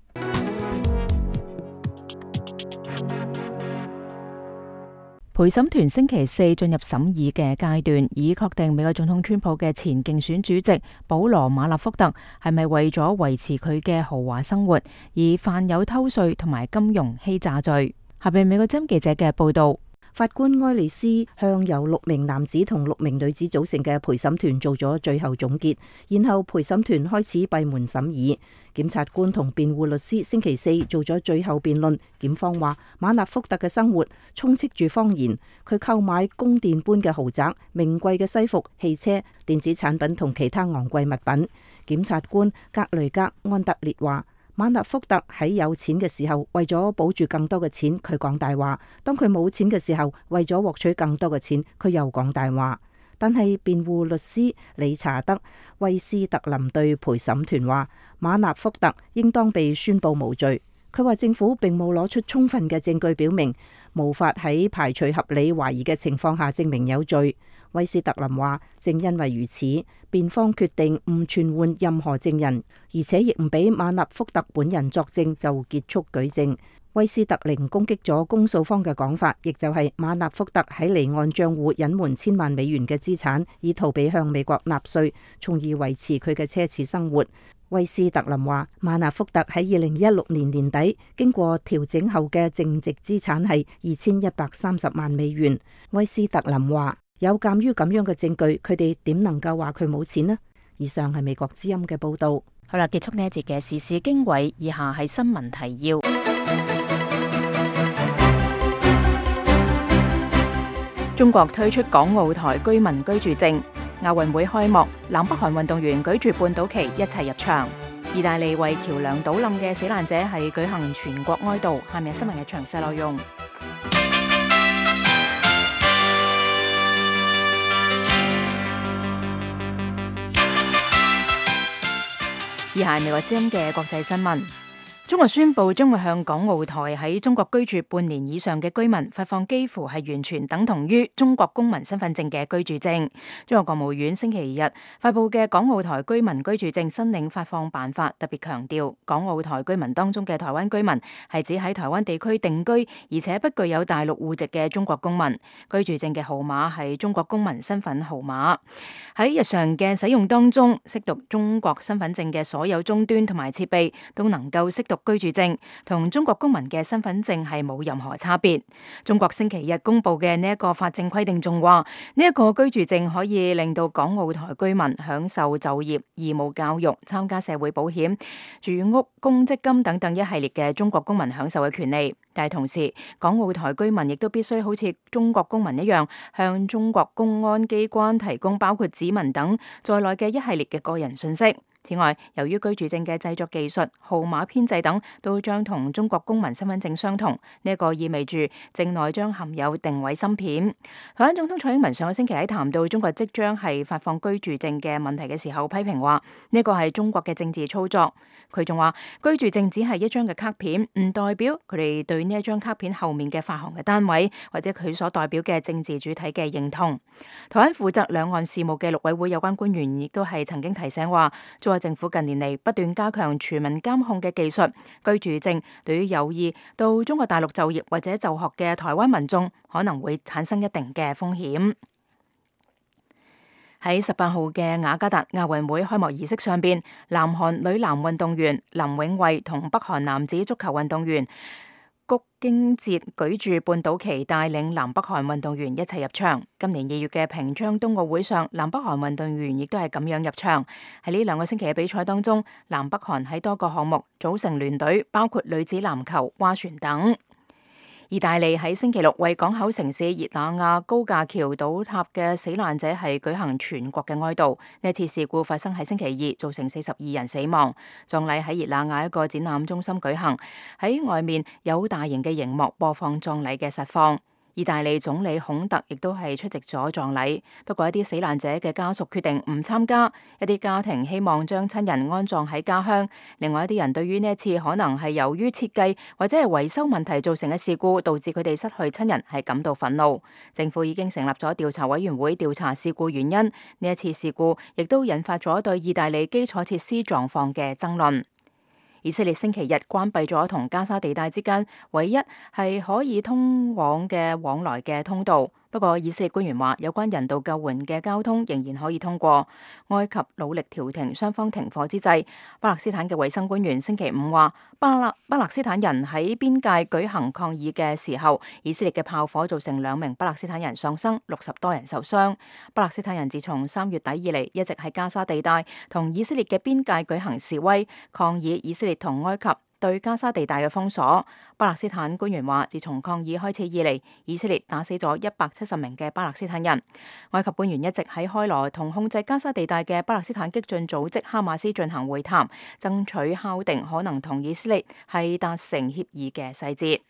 陪審團星期四進入審議嘅階段，以確定美國總統川普嘅前競選主席保羅馬納福特係咪為咗維持佢嘅豪華生活而犯有偷稅同埋金融欺詐罪。下邊美國之音記者嘅報道。法官埃利斯向由六名男子同六名女子組成嘅陪審團做咗最後總結，然後陪審團開始閉門審議。檢察官同辯護律師星期四做咗最後辯論。檢方話，馬納福特嘅生活充斥住謊言，佢購買宮殿般嘅豪宅、名貴嘅西服、汽車、電子產品同其他昂貴物品。檢察官格雷格安德烈話，馬納福特喺有錢嘅時候，為咗保住更多嘅錢，佢講大話；當佢冇錢嘅時候，為咗獲取更多嘅錢，佢又講大話。但係辯護律師理查德·威斯特林對陪審團話，馬納福特應當被宣布無罪。佢話政府並冇攞出充分嘅證據表明，無法喺排除合理懷疑嘅情況下證明有罪。威斯特林話，正因為如此，辯方決定唔傳喚任何證人，而且亦唔俾馬納福特本人作證就結束舉證。威斯特林攻擊咗公訴方嘅講法，亦就係馬納福特喺離岸賬戶隱瞞千萬美元嘅資產，以逃避向美國納稅，從而維持佢嘅奢侈生活。威斯特林話，馬納福特喺二零一六年年底經過調整後嘅淨值資產係二千一百三十萬美元。威斯特林話，有鑒於咁樣嘅證據，佢哋點能夠話佢冇錢呢？以上係美國之音嘅報道。好啦，結束呢一節嘅時事經緯，以下係新聞提要。中國推出港澳台居民居住證。亞運會開幕，南北韓運動員舉住半島旗一齊入場。意大利為橋梁倒冧嘅死難者係舉行全國哀悼。下面係新聞嘅詳細內容。以下係美國之音嘅國際新聞。中國宣布將會向港澳台喺中國居住半年以上嘅居民發放幾乎係完全等同於中國公民身份證嘅居住證。中國國務院星期日發布嘅港澳台居民居住證申領發放辦法特別強調，港澳台居民當中嘅台灣居民係指喺台灣地區定居而且不具有大陸戶籍嘅中國公民。居住證嘅號碼係中國公民身份號碼。喺日常嘅使用當中，識讀中國身份證嘅所有終端同埋設備都能夠識讀居住證，同中國公民嘅身份證係冇任何差別。中國星期日公布嘅呢一個法政規定仲話，呢一個居住證可以令到港澳台居民享受就業、義務教育、參加社會保險、住屋、公積金等等一系列嘅中國公民享受嘅權利。但係同時，港澳台居民亦都必須好似中國公民一樣，向中國公安機關提供包括指紋等在內嘅一系列嘅個人信息。此外，由於居住證嘅製作技術、號碼編製等都將同中國公民身份證相同，呢、這、一個意味住證內將含有定位芯片。台灣總統蔡英文上個星期喺談到中國即將係發放居住證嘅問題嘅時候，批評話呢個係中國嘅政治操作。佢仲話居住證只係一張嘅卡片，唔代表佢哋對呢一張卡片後面嘅發行嘅單位或者佢所代表嘅政治主體嘅認同。台灣負責兩岸事務嘅陸委會有關官員亦都係曾經提醒話，政府近年嚟不斷加強全民監控嘅技術，居住證對於有意到中國大陸就業或者就學嘅台灣民眾可能會產生一定嘅風險。喺十八號嘅雅加達亞運會開幕儀式上邊，南韓女籃運動員林永慧同北韓男子足球運動員谷京哲舉住半島旗，帶領南北韓運動員一齊入場。今年二月嘅平昌冬奧會上，南北韓運動員亦都係咁樣入場。喺呢兩個星期嘅比賽當中，南北韓喺多個項目組成聯隊，包括女子籃球、划船等。意大利喺星期六為港口城市熱那亞高架橋倒塌嘅死難者係舉行全國嘅哀悼。呢次事故發生喺星期二，造成四十二人死亡。葬禮喺熱那亞一個展覽中心舉行，喺外面有大型嘅熒幕播放葬禮嘅實況。意大利總理孔特亦都係出席咗葬禮，不過一啲死難者嘅家屬決定唔參加，一啲家庭希望將親人安葬喺家鄉，另外一啲人對於呢一次可能係由於設計或者係維修問題造成嘅事故，導致佢哋失去親人係感到憤怒。政府已經成立咗調查委員會調查事故原因，呢一次事故亦都引發咗對意大利基礎設施狀況嘅爭論。以色列星期日關閉咗同加沙地帶之間唯一係可以通往嘅往來嘅通道。不過，以色列官員話，有關人道救援嘅交通仍然可以通過。埃及努力調停雙方停火之際，巴勒斯坦嘅衛生官員星期五話，巴勒巴勒斯坦人喺邊界舉行抗議嘅時候，以色列嘅炮火造成兩名巴勒斯坦人喪生，六十多人受傷。巴勒斯坦人自從三月底以嚟，一直喺加沙地帶同以色列嘅邊界舉行示威，抗議以色列同埃及對加沙地帶嘅封鎖。巴勒斯坦官員話，自從抗議開始以嚟，以色列打死咗一百七十名嘅巴勒斯坦人。埃及官員一直喺開羅同控制加沙地帶嘅巴勒斯坦激進組織哈馬斯進行會談，爭取敲定可能同以色列係達成協議嘅細節。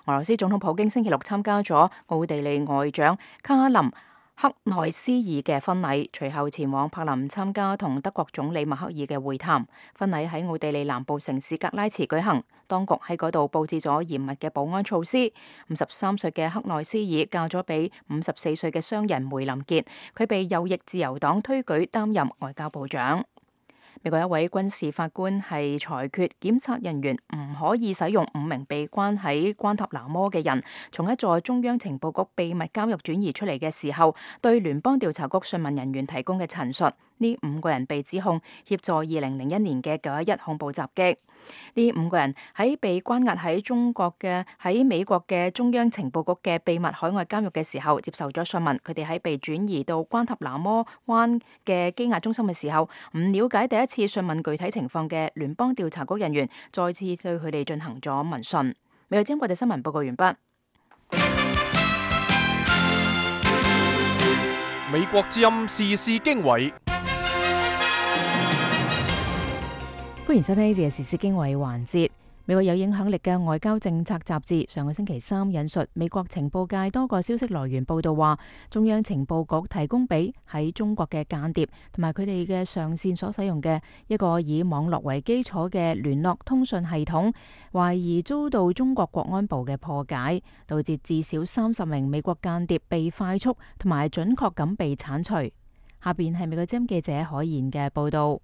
俄羅斯總統普京星期六參加咗奧地利外長卡林克內斯爾嘅婚禮，隨後前往柏林參加同德國總理默克爾嘅會談。婚禮喺奧地利南部城市格拉茨舉行，當局喺嗰度佈置咗嚴密嘅保安措施。五十三歲嘅克內斯爾嫁咗俾五十四歲嘅商人梅林傑，佢被右翼自由黨推舉擔任外交部長。美國一位軍事法官係裁決檢察人員唔可以使用五名被關喺關塔那摩嘅人從一座中央情報局秘密監獄轉移出嚟嘅時候，對聯邦調查局訊問人員提供嘅陳述。呢五個人被指控協助二零零一年嘅九一一恐怖襲擊。呢五個人喺被關押喺中國嘅喺美國嘅中央情報局嘅秘密海外監獄嘅時候，接受咗訊問。佢哋喺被轉移到關塔那摩灣嘅羈押中心嘅時候，唔了解第一次訊問具體情況嘅聯邦調查局人員再次對佢哋進行咗問訊。美國之音國際新聞報告完畢。美國之音時事經緯。歡迎收聽呢節嘅時事經緯環節。美國有影響力嘅外交政策雜誌上個星期三引述美國情報界多個消息來源報道話，中央情報局提供俾喺中國嘅間諜同埋佢哋嘅上線所使用嘅一個以網絡為基礎嘅聯絡通訊系統，懷疑遭到中國國安部嘅破解，導致至少三十名美國間諜被快速同埋準確咁被剷除。下邊係美國之音記者海燕嘅報道。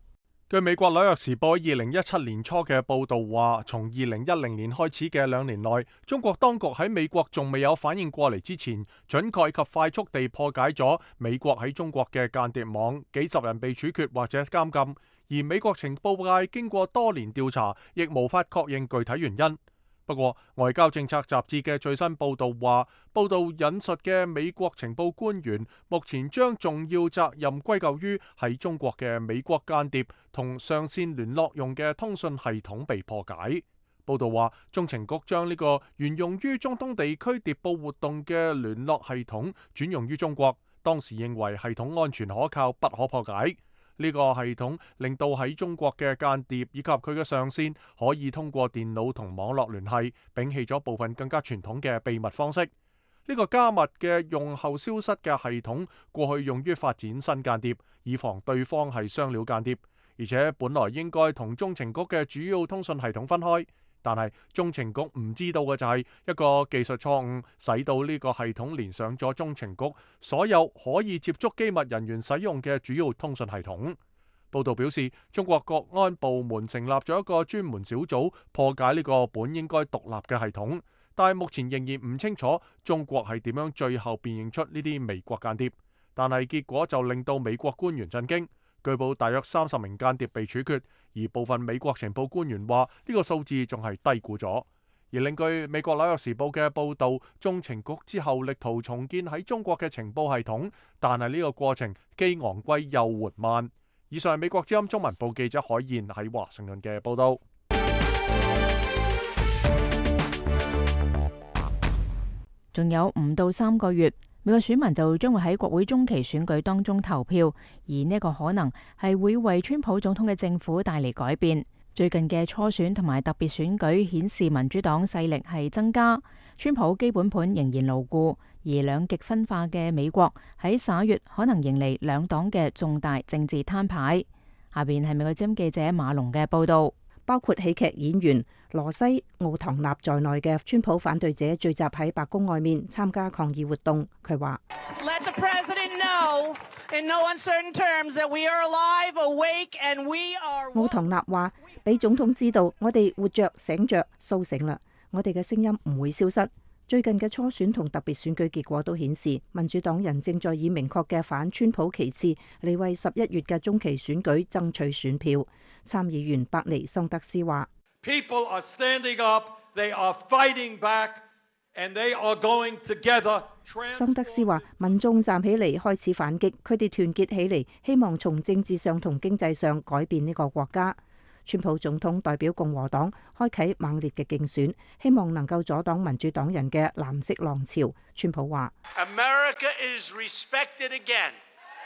據美國紐約時報二零一七年初嘅報道話，從二零一零年開始嘅兩年內，中國當局喺美國仲未有反應過嚟之前，準確及快速地破解咗美國喺中國嘅間諜網，幾十人被處決或者監禁。而美國情報界經過多年調查，亦無法確認具體原因。不過，外交政策雜誌嘅最新報導話，報導引述嘅美國情報官員目前將重要責任歸咎於喺中國嘅美國間諜同上線聯絡用嘅通訊系統被破解。報導話，中情局將呢個原用於中東地區諜報活動嘅聯絡系統轉用於中國，當時認為系統安全可靠，不可破解。呢個系統令到喺中國嘅間諜以及佢嘅上線可以通過電腦同網絡聯繫，摒棄咗部分更加傳統嘅秘密方式。呢個加密嘅用後消失嘅系統，過去用於發展新間諜，以防對方係雙料間諜，而且本來應該同中情局嘅主要通訊系統分開。但係中情局唔知道嘅就係一個技術錯誤，使到呢個系統連上咗中情局所有可以接觸機密人員使用嘅主要通訊系統。報道表示，中國國安部門成立咗一個專門小組破解呢個本應該獨立嘅系統，但係目前仍然唔清楚中國係點樣最後辨認出呢啲美國間諜。但係結果就令到美國官員震驚。據報大約三十名間諜被處決，而部分美國情報官員話呢個數字仲係低估咗。而另據美國紐約時報嘅報導，中情局之後力圖重建喺中國嘅情報系統，但係呢個過程既昂貴又緩慢。以上係美國之音中文部記者海燕喺華盛頓嘅報導。仲有唔到三個月，美國選民就將會喺國會中期選舉當中投票，而呢個可能係會為川普總統嘅政府帶嚟改變。最近嘅初選同埋特別選舉顯示民主黨勢力係增加，川普基本盤仍然牢固，而兩極分化嘅美國喺十一月可能迎嚟兩黨嘅重大政治攤牌。下邊係美國之音記者馬龍嘅報道。包括喜劇演員羅西奧唐納在內嘅川普反對者聚集喺白宮外面參加抗議活動。佢話奧唐納話俾總統知道，我哋活着、醒着、甦醒啦，我哋嘅聲音唔會消失。最近嘅初選同特別選舉結果都顯示，民主黨人正在以明確嘅反川普旗幟嚟為十一月嘅中期選舉爭取選票。參議員伯尼桑德斯話：People are standing up, they are fighting back, and they are going together. 桑德斯話：民眾站起嚟開始反擊，佢哋團結起嚟，希望從政治上同經濟上改變呢個國家。川普總統代表共和黨開啟猛烈嘅競選，希望能夠阻擋民主黨人嘅藍色浪潮。川普話：America is respected again,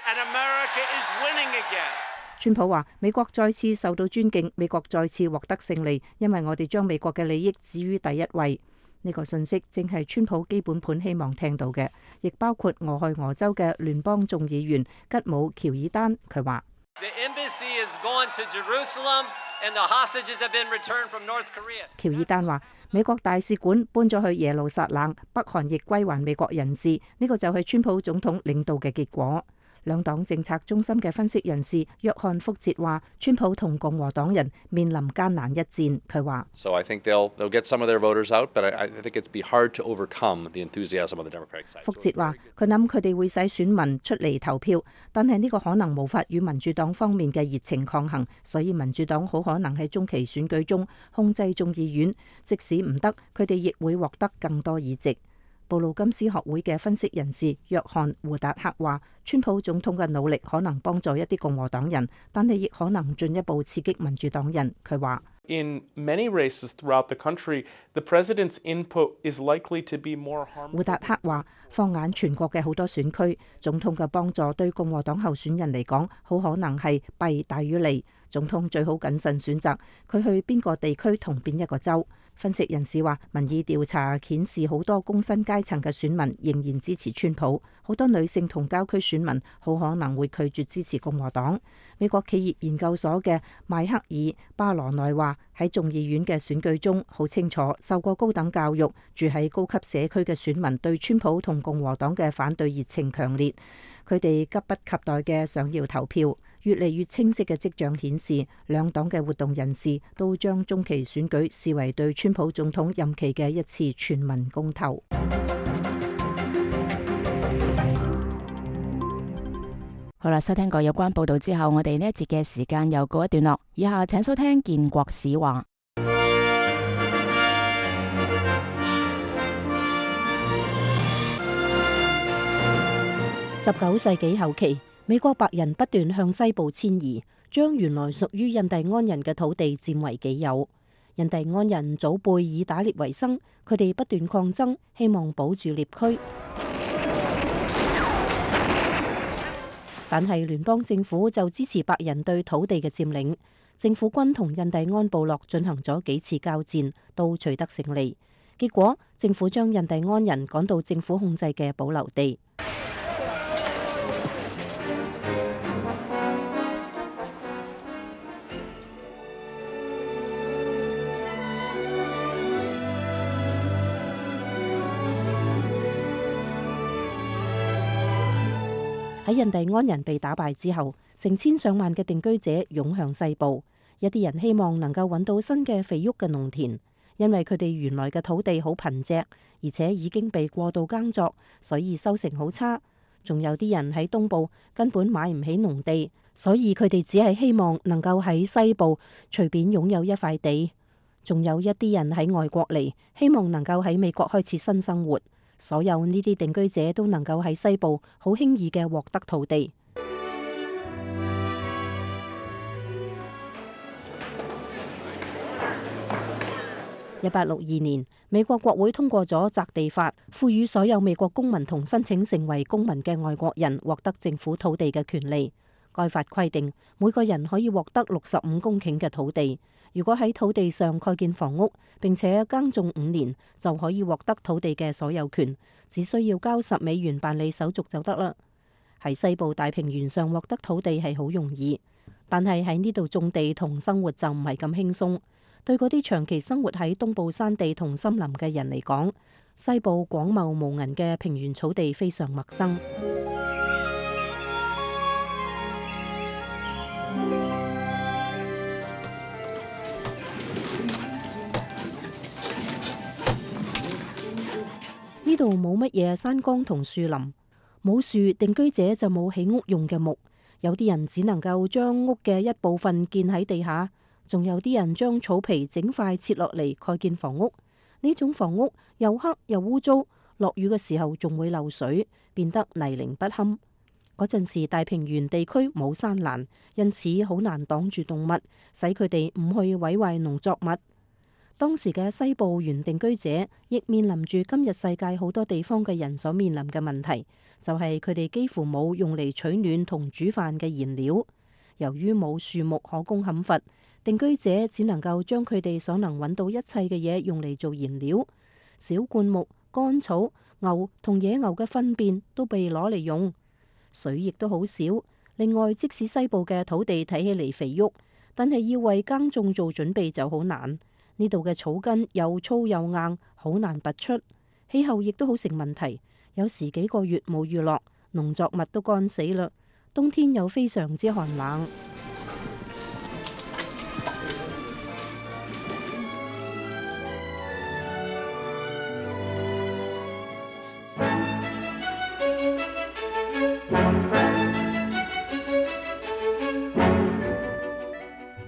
and America is winning again. 川普話：美國再次受到尊敬，美國再次獲得勝利，因為我哋將美國嘅利益置於第一位。呢個信息正係川普基本盤希望聽到嘅，亦包括俄亥俄州嘅聯邦眾議員吉姆喬爾丹。佢話喬爾丹話美國大使館搬咗去耶路撒冷，北韓亦歸還美國人質，呢個就係川普總統領導嘅結果。兩黨政策中心嘅分析人士約翰福哲話，川普同共和黨人面臨艱難一戰。佢話：So I think they'll they'll get some of their voters out, but I I think it'd be hard to overcome the enthusiasm of the Democratic side. 福哲話：佢諗佢哋會使選民出嚟投票，但係呢個可能無法與民主黨方面嘅熱情抗衡，所以民主黨好可能喺中期選舉中控制眾議院，即使唔得，佢哋亦會獲得更多議席。布魯金斯學會嘅分析人士約翰胡達克話，川普總統嘅努力可能幫助一啲共和黨人，但係亦可能進一步刺激民主黨人。佢話：In many races throughout the country, the president's input is likely to be more harmful. 胡達克話，放眼全國嘅好多選區，總統嘅幫助對共和黨候選人嚟講，好可能係弊大於利。總統最好謹慎選擇佢去邊個地區同邊一個州。分析人士話，民意調查顯示好多工薪階層嘅選民仍然支持川普，好多女性同郊區選民好可能會拒絕支持共和黨。美國企業研究所嘅邁克爾巴羅內話，喺眾議院嘅選舉中，好清楚受過高等教育、住喺高級社區嘅選民對川普同共和黨嘅反對熱情強烈，佢哋急不及待嘅想要投票。越嚟越清晰嘅跡象顯示，兩黨嘅活動人士都將中期選舉視為對川普總統任期嘅一次全民公投。好啦，收聽過有關報道之後，我哋呢一節嘅時間又告一段落。以下請收聽建國史話。十九世紀後期，美國白人不斷向西部遷移，將原來屬於印第安人嘅土地佔為己有。印第安人祖輩以打獵為生，佢哋不斷抗爭，希望保住獵區。但係聯邦政府就支持白人對土地嘅佔領。政府軍同印第安部落進行咗幾次交戰，都取得勝利。結果政府將印第安人趕到政府控制嘅保留地。喺印第安人被打敗之後，成千上萬嘅定居者湧向西部。一啲人希望能夠揾到新嘅肥沃嘅農田，因為佢哋原來嘅土地好貧瘠，而且已經被過度耕作，所以收成好差。仲有啲人喺東部根本買唔起農地，所以佢哋只係希望能夠喺西部隨便擁有一塊地。仲有一啲人喺外國嚟，希望能夠喺美國開始新生活。所有呢啲定居者都能夠喺西部好輕易嘅獲得土地。一八六二年，美國國會通過咗擇地法，賦予所有美國公民同申請成為公民嘅外國人獲得政府土地嘅權利。該法規定，每個人可以獲得六十五公頃嘅土地。如果喺土地上蓋建房屋，並且耕種五年，就可以獲得土地嘅所有權，只需要交十美元辦理手續就得啦。喺西部大平原上獲得土地係好容易，但係喺呢度種地同生活就唔係咁輕鬆。對嗰啲長期生活喺東部山地同森林嘅人嚟講，西部廣袤無垠嘅平原草地非常陌生。呢度冇乜嘢山崗同樹林，冇樹，定居者就冇起屋用嘅木。有啲人只能夠將屋嘅一部分建喺地下，仲有啲人將草皮整塊切落嚟蓋建房屋。呢種房屋又黑又污糟，落雨嘅時候仲會漏水，變得泥濘不堪。嗰陣時大平原地區冇山欄，因此好難擋住動物，使佢哋唔去毀壞農作物。當時嘅西部原定居者亦面臨住今日世界好多地方嘅人所面臨嘅問題，就係佢哋幾乎冇用嚟取暖同煮飯嘅燃料。由於冇樹木可供砍伐，定居者只能夠將佢哋所能揾到一切嘅嘢用嚟做燃料。小灌木、乾草、牛同野牛嘅糞便都被攞嚟用，水亦都好少。另外，即使西部嘅土地睇起嚟肥沃，但係要為耕種做準備就好難。呢度嘅草根又粗又硬，好難拔出。氣候亦都好成問題，有時幾個月冇雨落，農作物都乾死啦。冬天又非常之寒冷。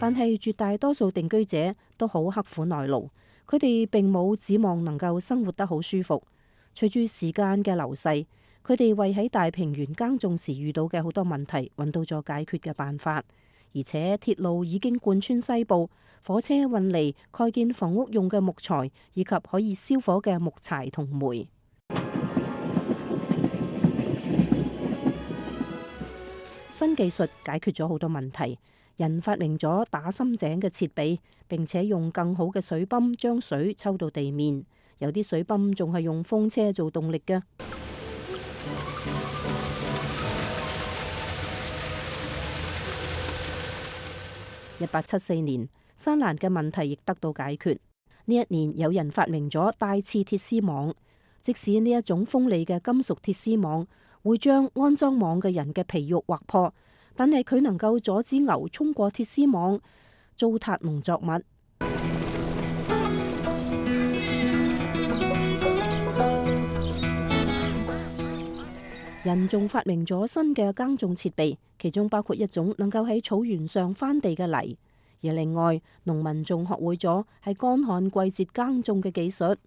但係絕大多數定居者都好刻苦耐勞，佢哋並冇指望能夠生活得好舒服。隨住時間嘅流逝，佢哋為喺大平原耕種時遇到嘅好多問題揾到咗解決嘅辦法，而且鐵路已經貫穿西部，火車運嚟蓋建房屋用嘅木材，以及可以燒火嘅木柴同煤。新技術解決咗好多問題。人發明咗打深井嘅設備，並且用更好嘅水泵將水抽到地面。有啲水泵仲係用風車做動力嘅。一八七四年，山蘭嘅問題亦得到解決。呢一年，有人發明咗帶刺鐵絲網，即使呢一種鋒利嘅金屬鐵絲網會將安裝網嘅人嘅皮肉劃破，但係佢能夠阻止牛衝過鐵絲網，糟蹋農作物。人仲發明咗新嘅耕種設備，其中包括一種能夠喺草原上翻地嘅犁。而另外，農民仲學會咗喺乾旱季節耕種嘅技術。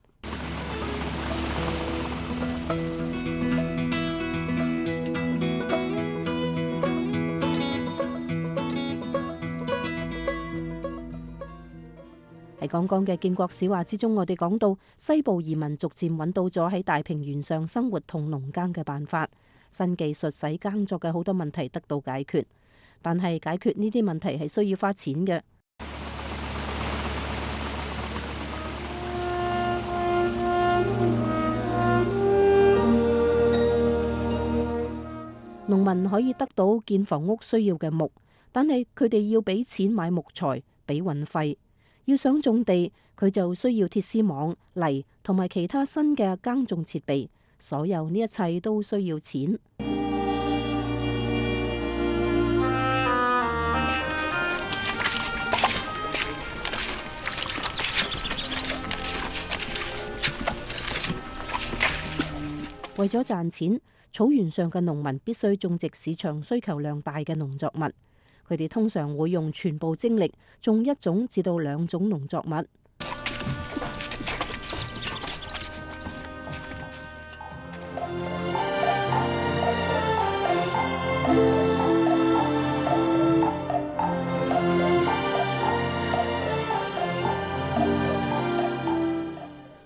喺剛剛嘅建國史話之中，我哋講到西部移民逐漸揾到咗喺大平原上生活同農耕嘅辦法，新技術使耕作嘅好多問題得到解決，但係解決呢啲問題係需要花錢嘅。農民可以得到建房屋需要嘅木，但係佢哋要俾錢買木材，俾運費。要想種地，佢就需要鐵絲網、犁同埋其他新嘅耕種設備，所有呢一切都需要錢。為咗賺錢，草原上嘅農民必須種植市場需求量大嘅農作物。佢哋通常會用全部精力種一種至到兩種農作物。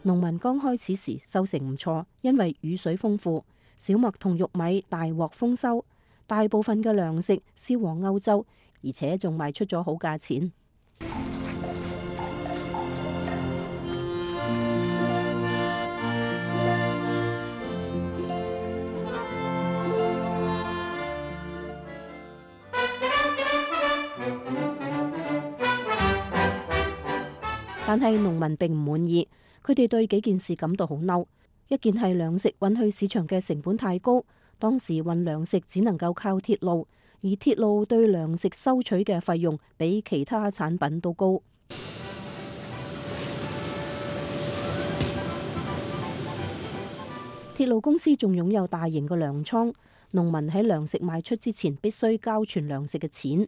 農民剛開始時收成唔錯，因為雨水豐富，小麥同玉米大獲豐收。大部分嘅糧食銷往歐洲，而且仲賣出咗好價錢。但係農民並唔滿意，佢哋對幾件事感到好嬲。一件係糧食運去市場嘅成本太高。當時運糧食只能夠靠鐵路，而鐵路對糧食收取嘅費用比其他產品都高。鐵路公司仲擁有大型嘅糧倉，農民喺糧食賣出之前必須交存糧食嘅錢，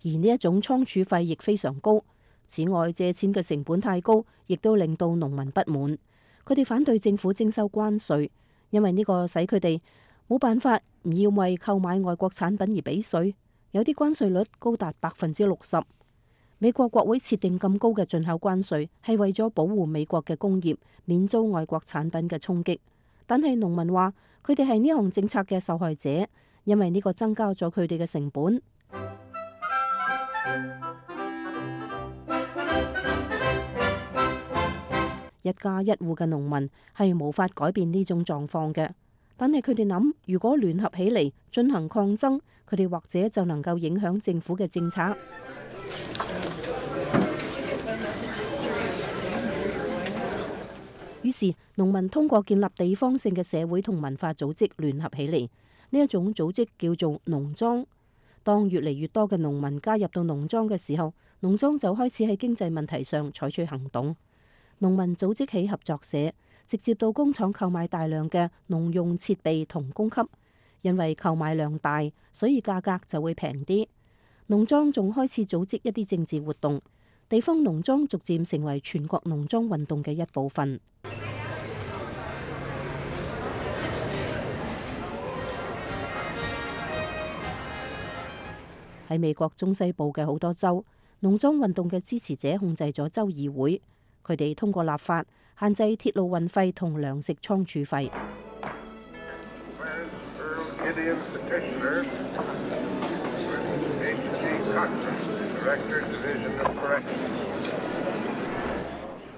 而呢一種倉儲費亦非常高。此外，借錢嘅成本太高，亦都令到農民不滿。佢哋反對政府徵收關稅，因為呢個使佢哋冇辦法唔要為購買外國產品而俾稅，有啲關稅率高達百分之六十。美國國會設定咁高嘅進口關稅，係為咗保護美國嘅工業免遭外國產品嘅衝擊。但係農民話，佢哋係呢項政策嘅受害者，因為呢個增加咗佢哋嘅成本。一一家一戶嘅農民係無法改變呢種狀況嘅。但係佢哋諗，如果聯合起嚟進行抗爭，佢哋或者就能夠影響政府嘅政策。於是農民通過建立地方性嘅社會同文化組織聯合起嚟，呢一種組織叫做農莊。當越嚟越多嘅農民加入到農莊嘅時候，農莊就開始喺經濟問題上採取行動。農民組織起合作社，直接到工廠購買大量嘅農用設備同供給，因為購買量大，所以價格就會平啲。農莊仲開始組織一啲政治活動，地方農莊逐漸成為全國農莊運動嘅一部分。喺美國中西部嘅好多州，農莊運動嘅支持者控制咗州議會，佢哋通過立法限制鐵路運費同糧食倉儲費。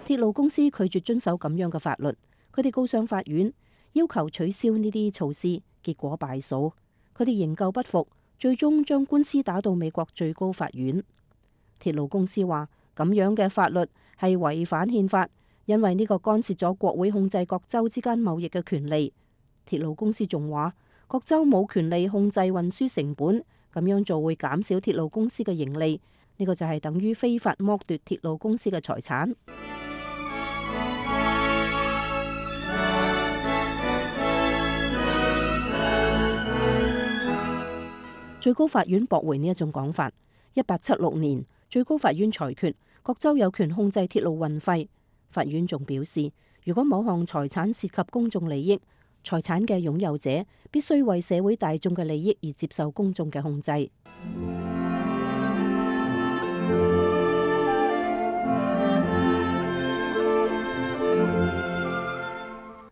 鐵路公司拒絕遵守咁樣嘅法律，佢哋告上法院，要求取消呢啲措施，結果敗訴。佢哋仍舊不服，最終將官司打到美國最高法院。鐵路公司話咁樣嘅法律係違反憲法，因為呢個干涉咗國會控制各州之間貿易嘅權利。鐵路公司仲話各州冇權利控制運輸成本，咁樣做會減少鐵路公司嘅盈利。呢個就係等於非法剝奪鐵路公司嘅財產。最高法院駁回呢一種講法。一八七六年，最高法院裁決各州有權控制鐵路運費。法院仲表示，如果某項財產涉及公眾利益，財產嘅擁有者必須為社會大眾嘅利益而接受公眾嘅控制。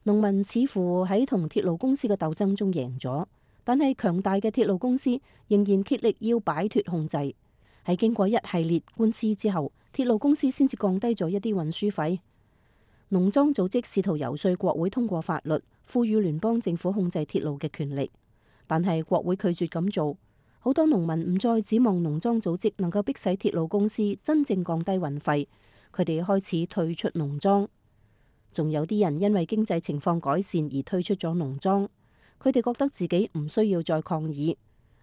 農民似乎喺同鐵路公司嘅鬥爭中贏咗，但係強大嘅鐵路公司仍然竭力要擺脫控制。喺經過一系列官司之後，鐵路公司先至降低咗一啲運輸費。農莊組織試圖遊說國會通過法律，賦予聯邦政府控制鐵路嘅權力，但係國會拒絕咁做。好多農民唔再指望農莊組織能夠迫使鐵路公司真正降低運費，佢哋開始退出農莊。仲有啲人因為經濟情況改善而退出咗農莊，佢哋覺得自己唔需要再抗議。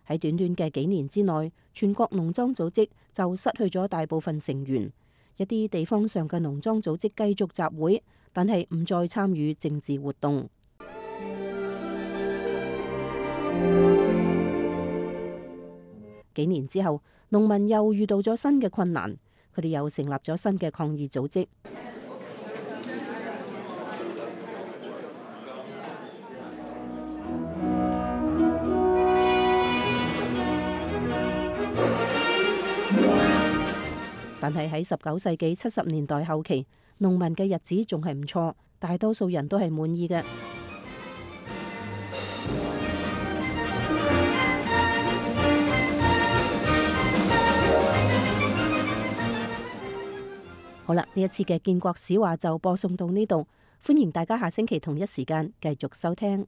喺短短嘅幾年之內，全國農莊組織就失去咗大部分成員。一啲地方上嘅農莊組織繼續集會，但係唔再參與政治活動。幾年之後，農民又遇到咗新嘅困難，佢哋又成立咗新嘅抗議組織。但係喺十九世紀七十年代後期，農民嘅日子仲係唔錯，大多數人都係滿意嘅。好啦，呢一次嘅建國史話就播送到呢度，歡迎大家下星期同一時間繼續收聽。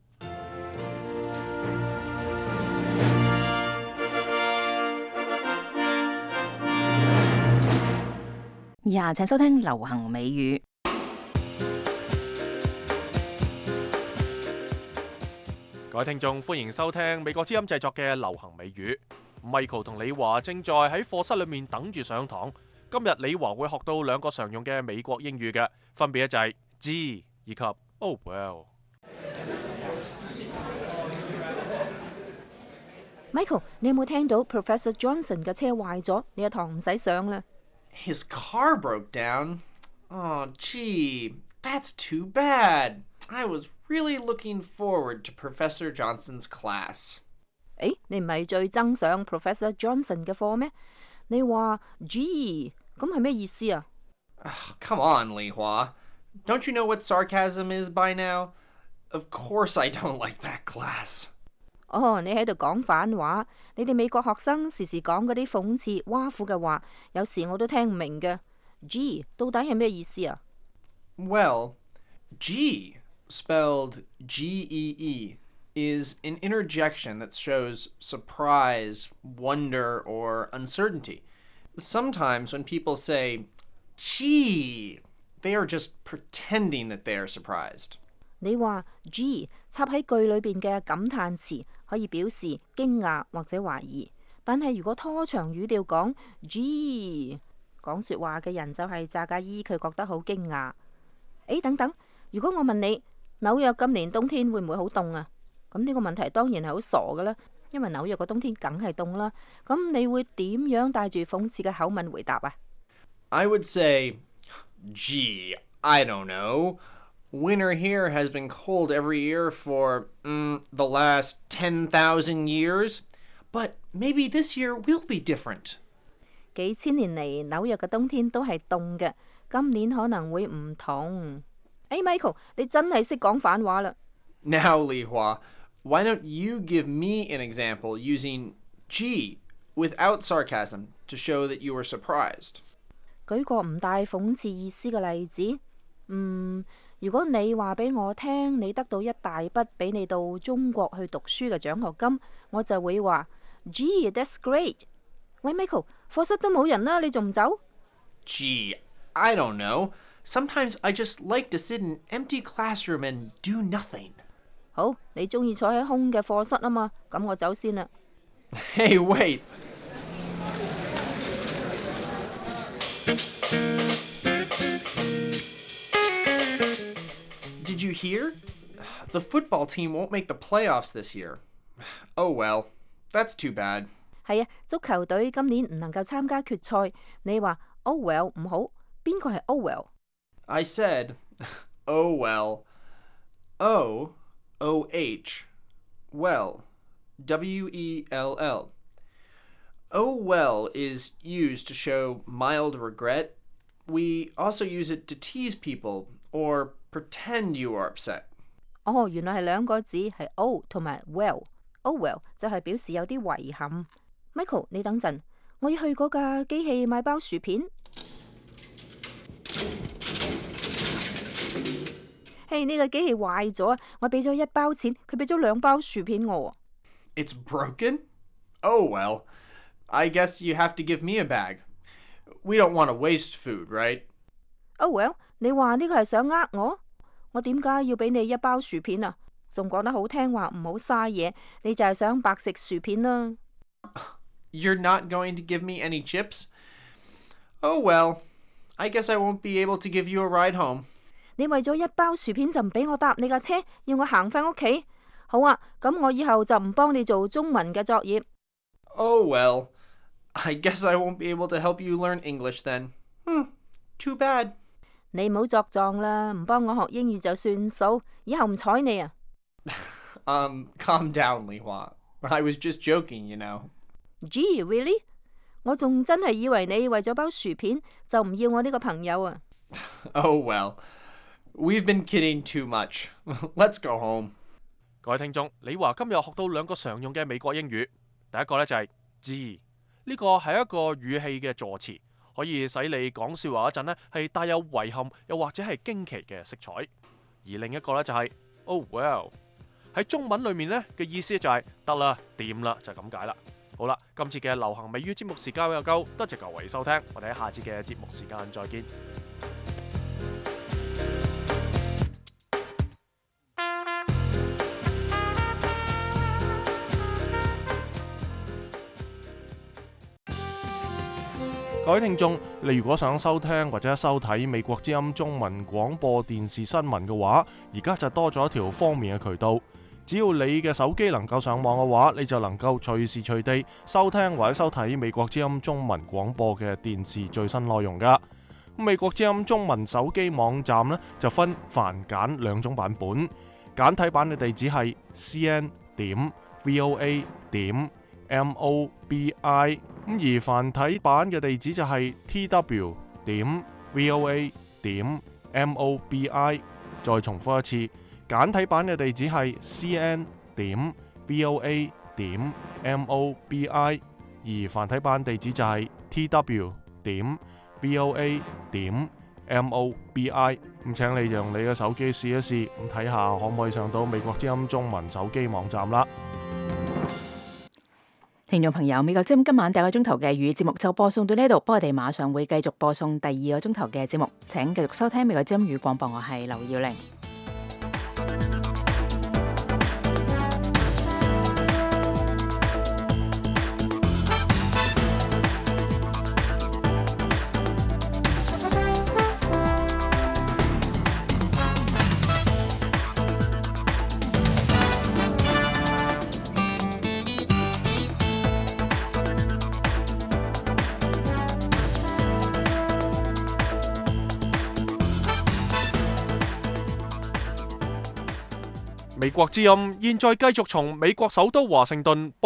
以下請收聽流行美語。各位聽眾，歡迎收聽美國之音製作嘅流行美語。Michael 同李華正在喺課室裏面等住上堂。今日李華會學到兩個常用嘅美國英語嘅，分別就係 Gee 以及 Oh well。Michael， 你有冇聽到 Professor Johnson 嘅車壞咗？呢一堂唔使上啦。His car broke down. Oh, gee, that's too bad. I was really looking forward to Professor Johnson's class. 誒，你唔係最憎上 Professor Johnson 嘅課咩？你話 gee， 咁係咩意思啊？ Come on, Li Hua. Don't you know what sarcasm is by now? Of course I don't like that class. 哦，你喺度講反話。你哋美國學生時時講嗰啲諷刺挖苦嘅話，有時我都聽唔明嘅。Gee，到底係咩意思啊？ Well, G, spelled G E E, is an interjection that shows surprise, wonder, or uncertainty. Sometimes when people say, gee, they are just pretending that they are surprised. 你話 G 插喺句裏邊嘅感嘆詞可以表示驚訝或者懷疑，但係如果拖長語調講 G， 講説話嘅人就係詐假意，佢覺得好驚訝。誒，等等，如果我問你紐約今年冬天會唔會好凍啊？咁呢個問題當然係好傻㗎啦，因為紐約個冬天梗係凍啦。咁你會點樣帶住諷刺嘅口吻回答啊？ I would say, gee, I don't know. Winter here has been cold every year for mm, the last ten thousand years, but maybe this year will be different. 幾千年嚟紐約嘅冬天都係凍嘅，今年可能會唔同。誒 Michael， 你真係識講反話啦。 Now, Li Hua, why don't you give me an example using gee without sarcasm to show that you were surprised? 舉個唔帶諷刺意思嘅例子，嗯，如果你話俾我聽你得到一大筆俾你到中國去讀書嘅獎學金，我就會話 Gee, that's great。 喂 Michael， 課室都冇人啦，你仲唔走？ Gee, I don't know. Sometimes I just like to sit in an empty classroom and do nothing. 好，你中意坐喺空嘅課室啊嘛，咁我走先啦。 Hey, wait. Did you hear? The football team won't make the playoffs this year. Oh well, that's too bad. 係啊，足球隊今年唔能夠參加決賽。你話 Oh well 唔好，邊個係 Oh well？ I said, oh well. O O H. Well. W E L L. Oh well is used to show mild regret. We also use it to tease people or pretend you are upset. 哦，原來係兩個字，係 O 同埋 well。Oh well 就係表示有啲遺憾。Michael， 你等陣，我要去嗰架機器買包薯片。嘿，呢個機器壞咗，我俾咗一包錢，佢俾咗兩包薯片我。 It's broken? Oh well. I guess you have to give me a bag. We don't want to waste food, right? Oh well， 你話呢個係想呃我？我點解要俾你一包薯片啊？仲講得好聽話，唔好嘥嘢，你就係想白食薯片啦。 You're not going to give me any chips? Oh well. I guess I won't be able to give you a ride home. 你為咗一包薯片就唔俾我搭你架車，要我行返屋企？好啊，咁我以後就唔幫你做中文嘅作業。 Oh well. I guess I won't be able to help you learn English then. Hmm, too bad. 你唔好作狀啦，唔幫我學英語就算數，以後唔睬你啊。 um, calm down, Li Hua. I was just joking, you know. Gee, really? 我仲真係以為你為咗包薯片就唔要我呢個朋友啊。 Oh well. We've been kidding too much. Let's go home. 各位聽眾，你話今日學到兩個常用嘅美國英語，第一個呢就係 gee， 呢個係一個語氣嘅助詞，可以使你講説話嗰陣呢係帶有遺憾又或者係驚奇嘅色彩。而另一個呢就係 oh well， 喺中文裡面呢嘅意思就係得啦、掂啦，就咁解啦。好啦，今次嘅流行美語節目時間又夠，多謝各位收聽，我哋喺下次嘅節目時間再見。各位聽眾，你如果想收聽或者收睇美國之音中文廣播電視新聞嘅話，而家就多咗一條方便嘅渠道。只要你嘅手機能夠上網嘅話，你就能夠隨時隨地收聽或者收睇美國之音中文廣播嘅電視最新內容㗎。美國之音中文手機網站呢，就分繁簡兩種版本，簡體版嘅地址係 c n 點 v o a 點 m o b i， 咁而繁體版嘅地址就係 t w 點 v o a 點 m o b i。再重複一次，簡體版嘅地址係 c n 點 v o a 點 m o b i， 而繁體版地址就係 t w 點 v o a 點 M O B I。咁請你用你嘅手機試一試，咁睇下可唔可以上到美國之音中文手機網站啦。聽眾朋友，美國之音今晚第一個鐘頭嘅粵語節目就播送到呢度，不過我哋馬上會繼續播送第二個鐘頭嘅節目，請繼續收聽美國之音語廣播，我係劉耀玲。美國之音現在繼續從美國首都華盛頓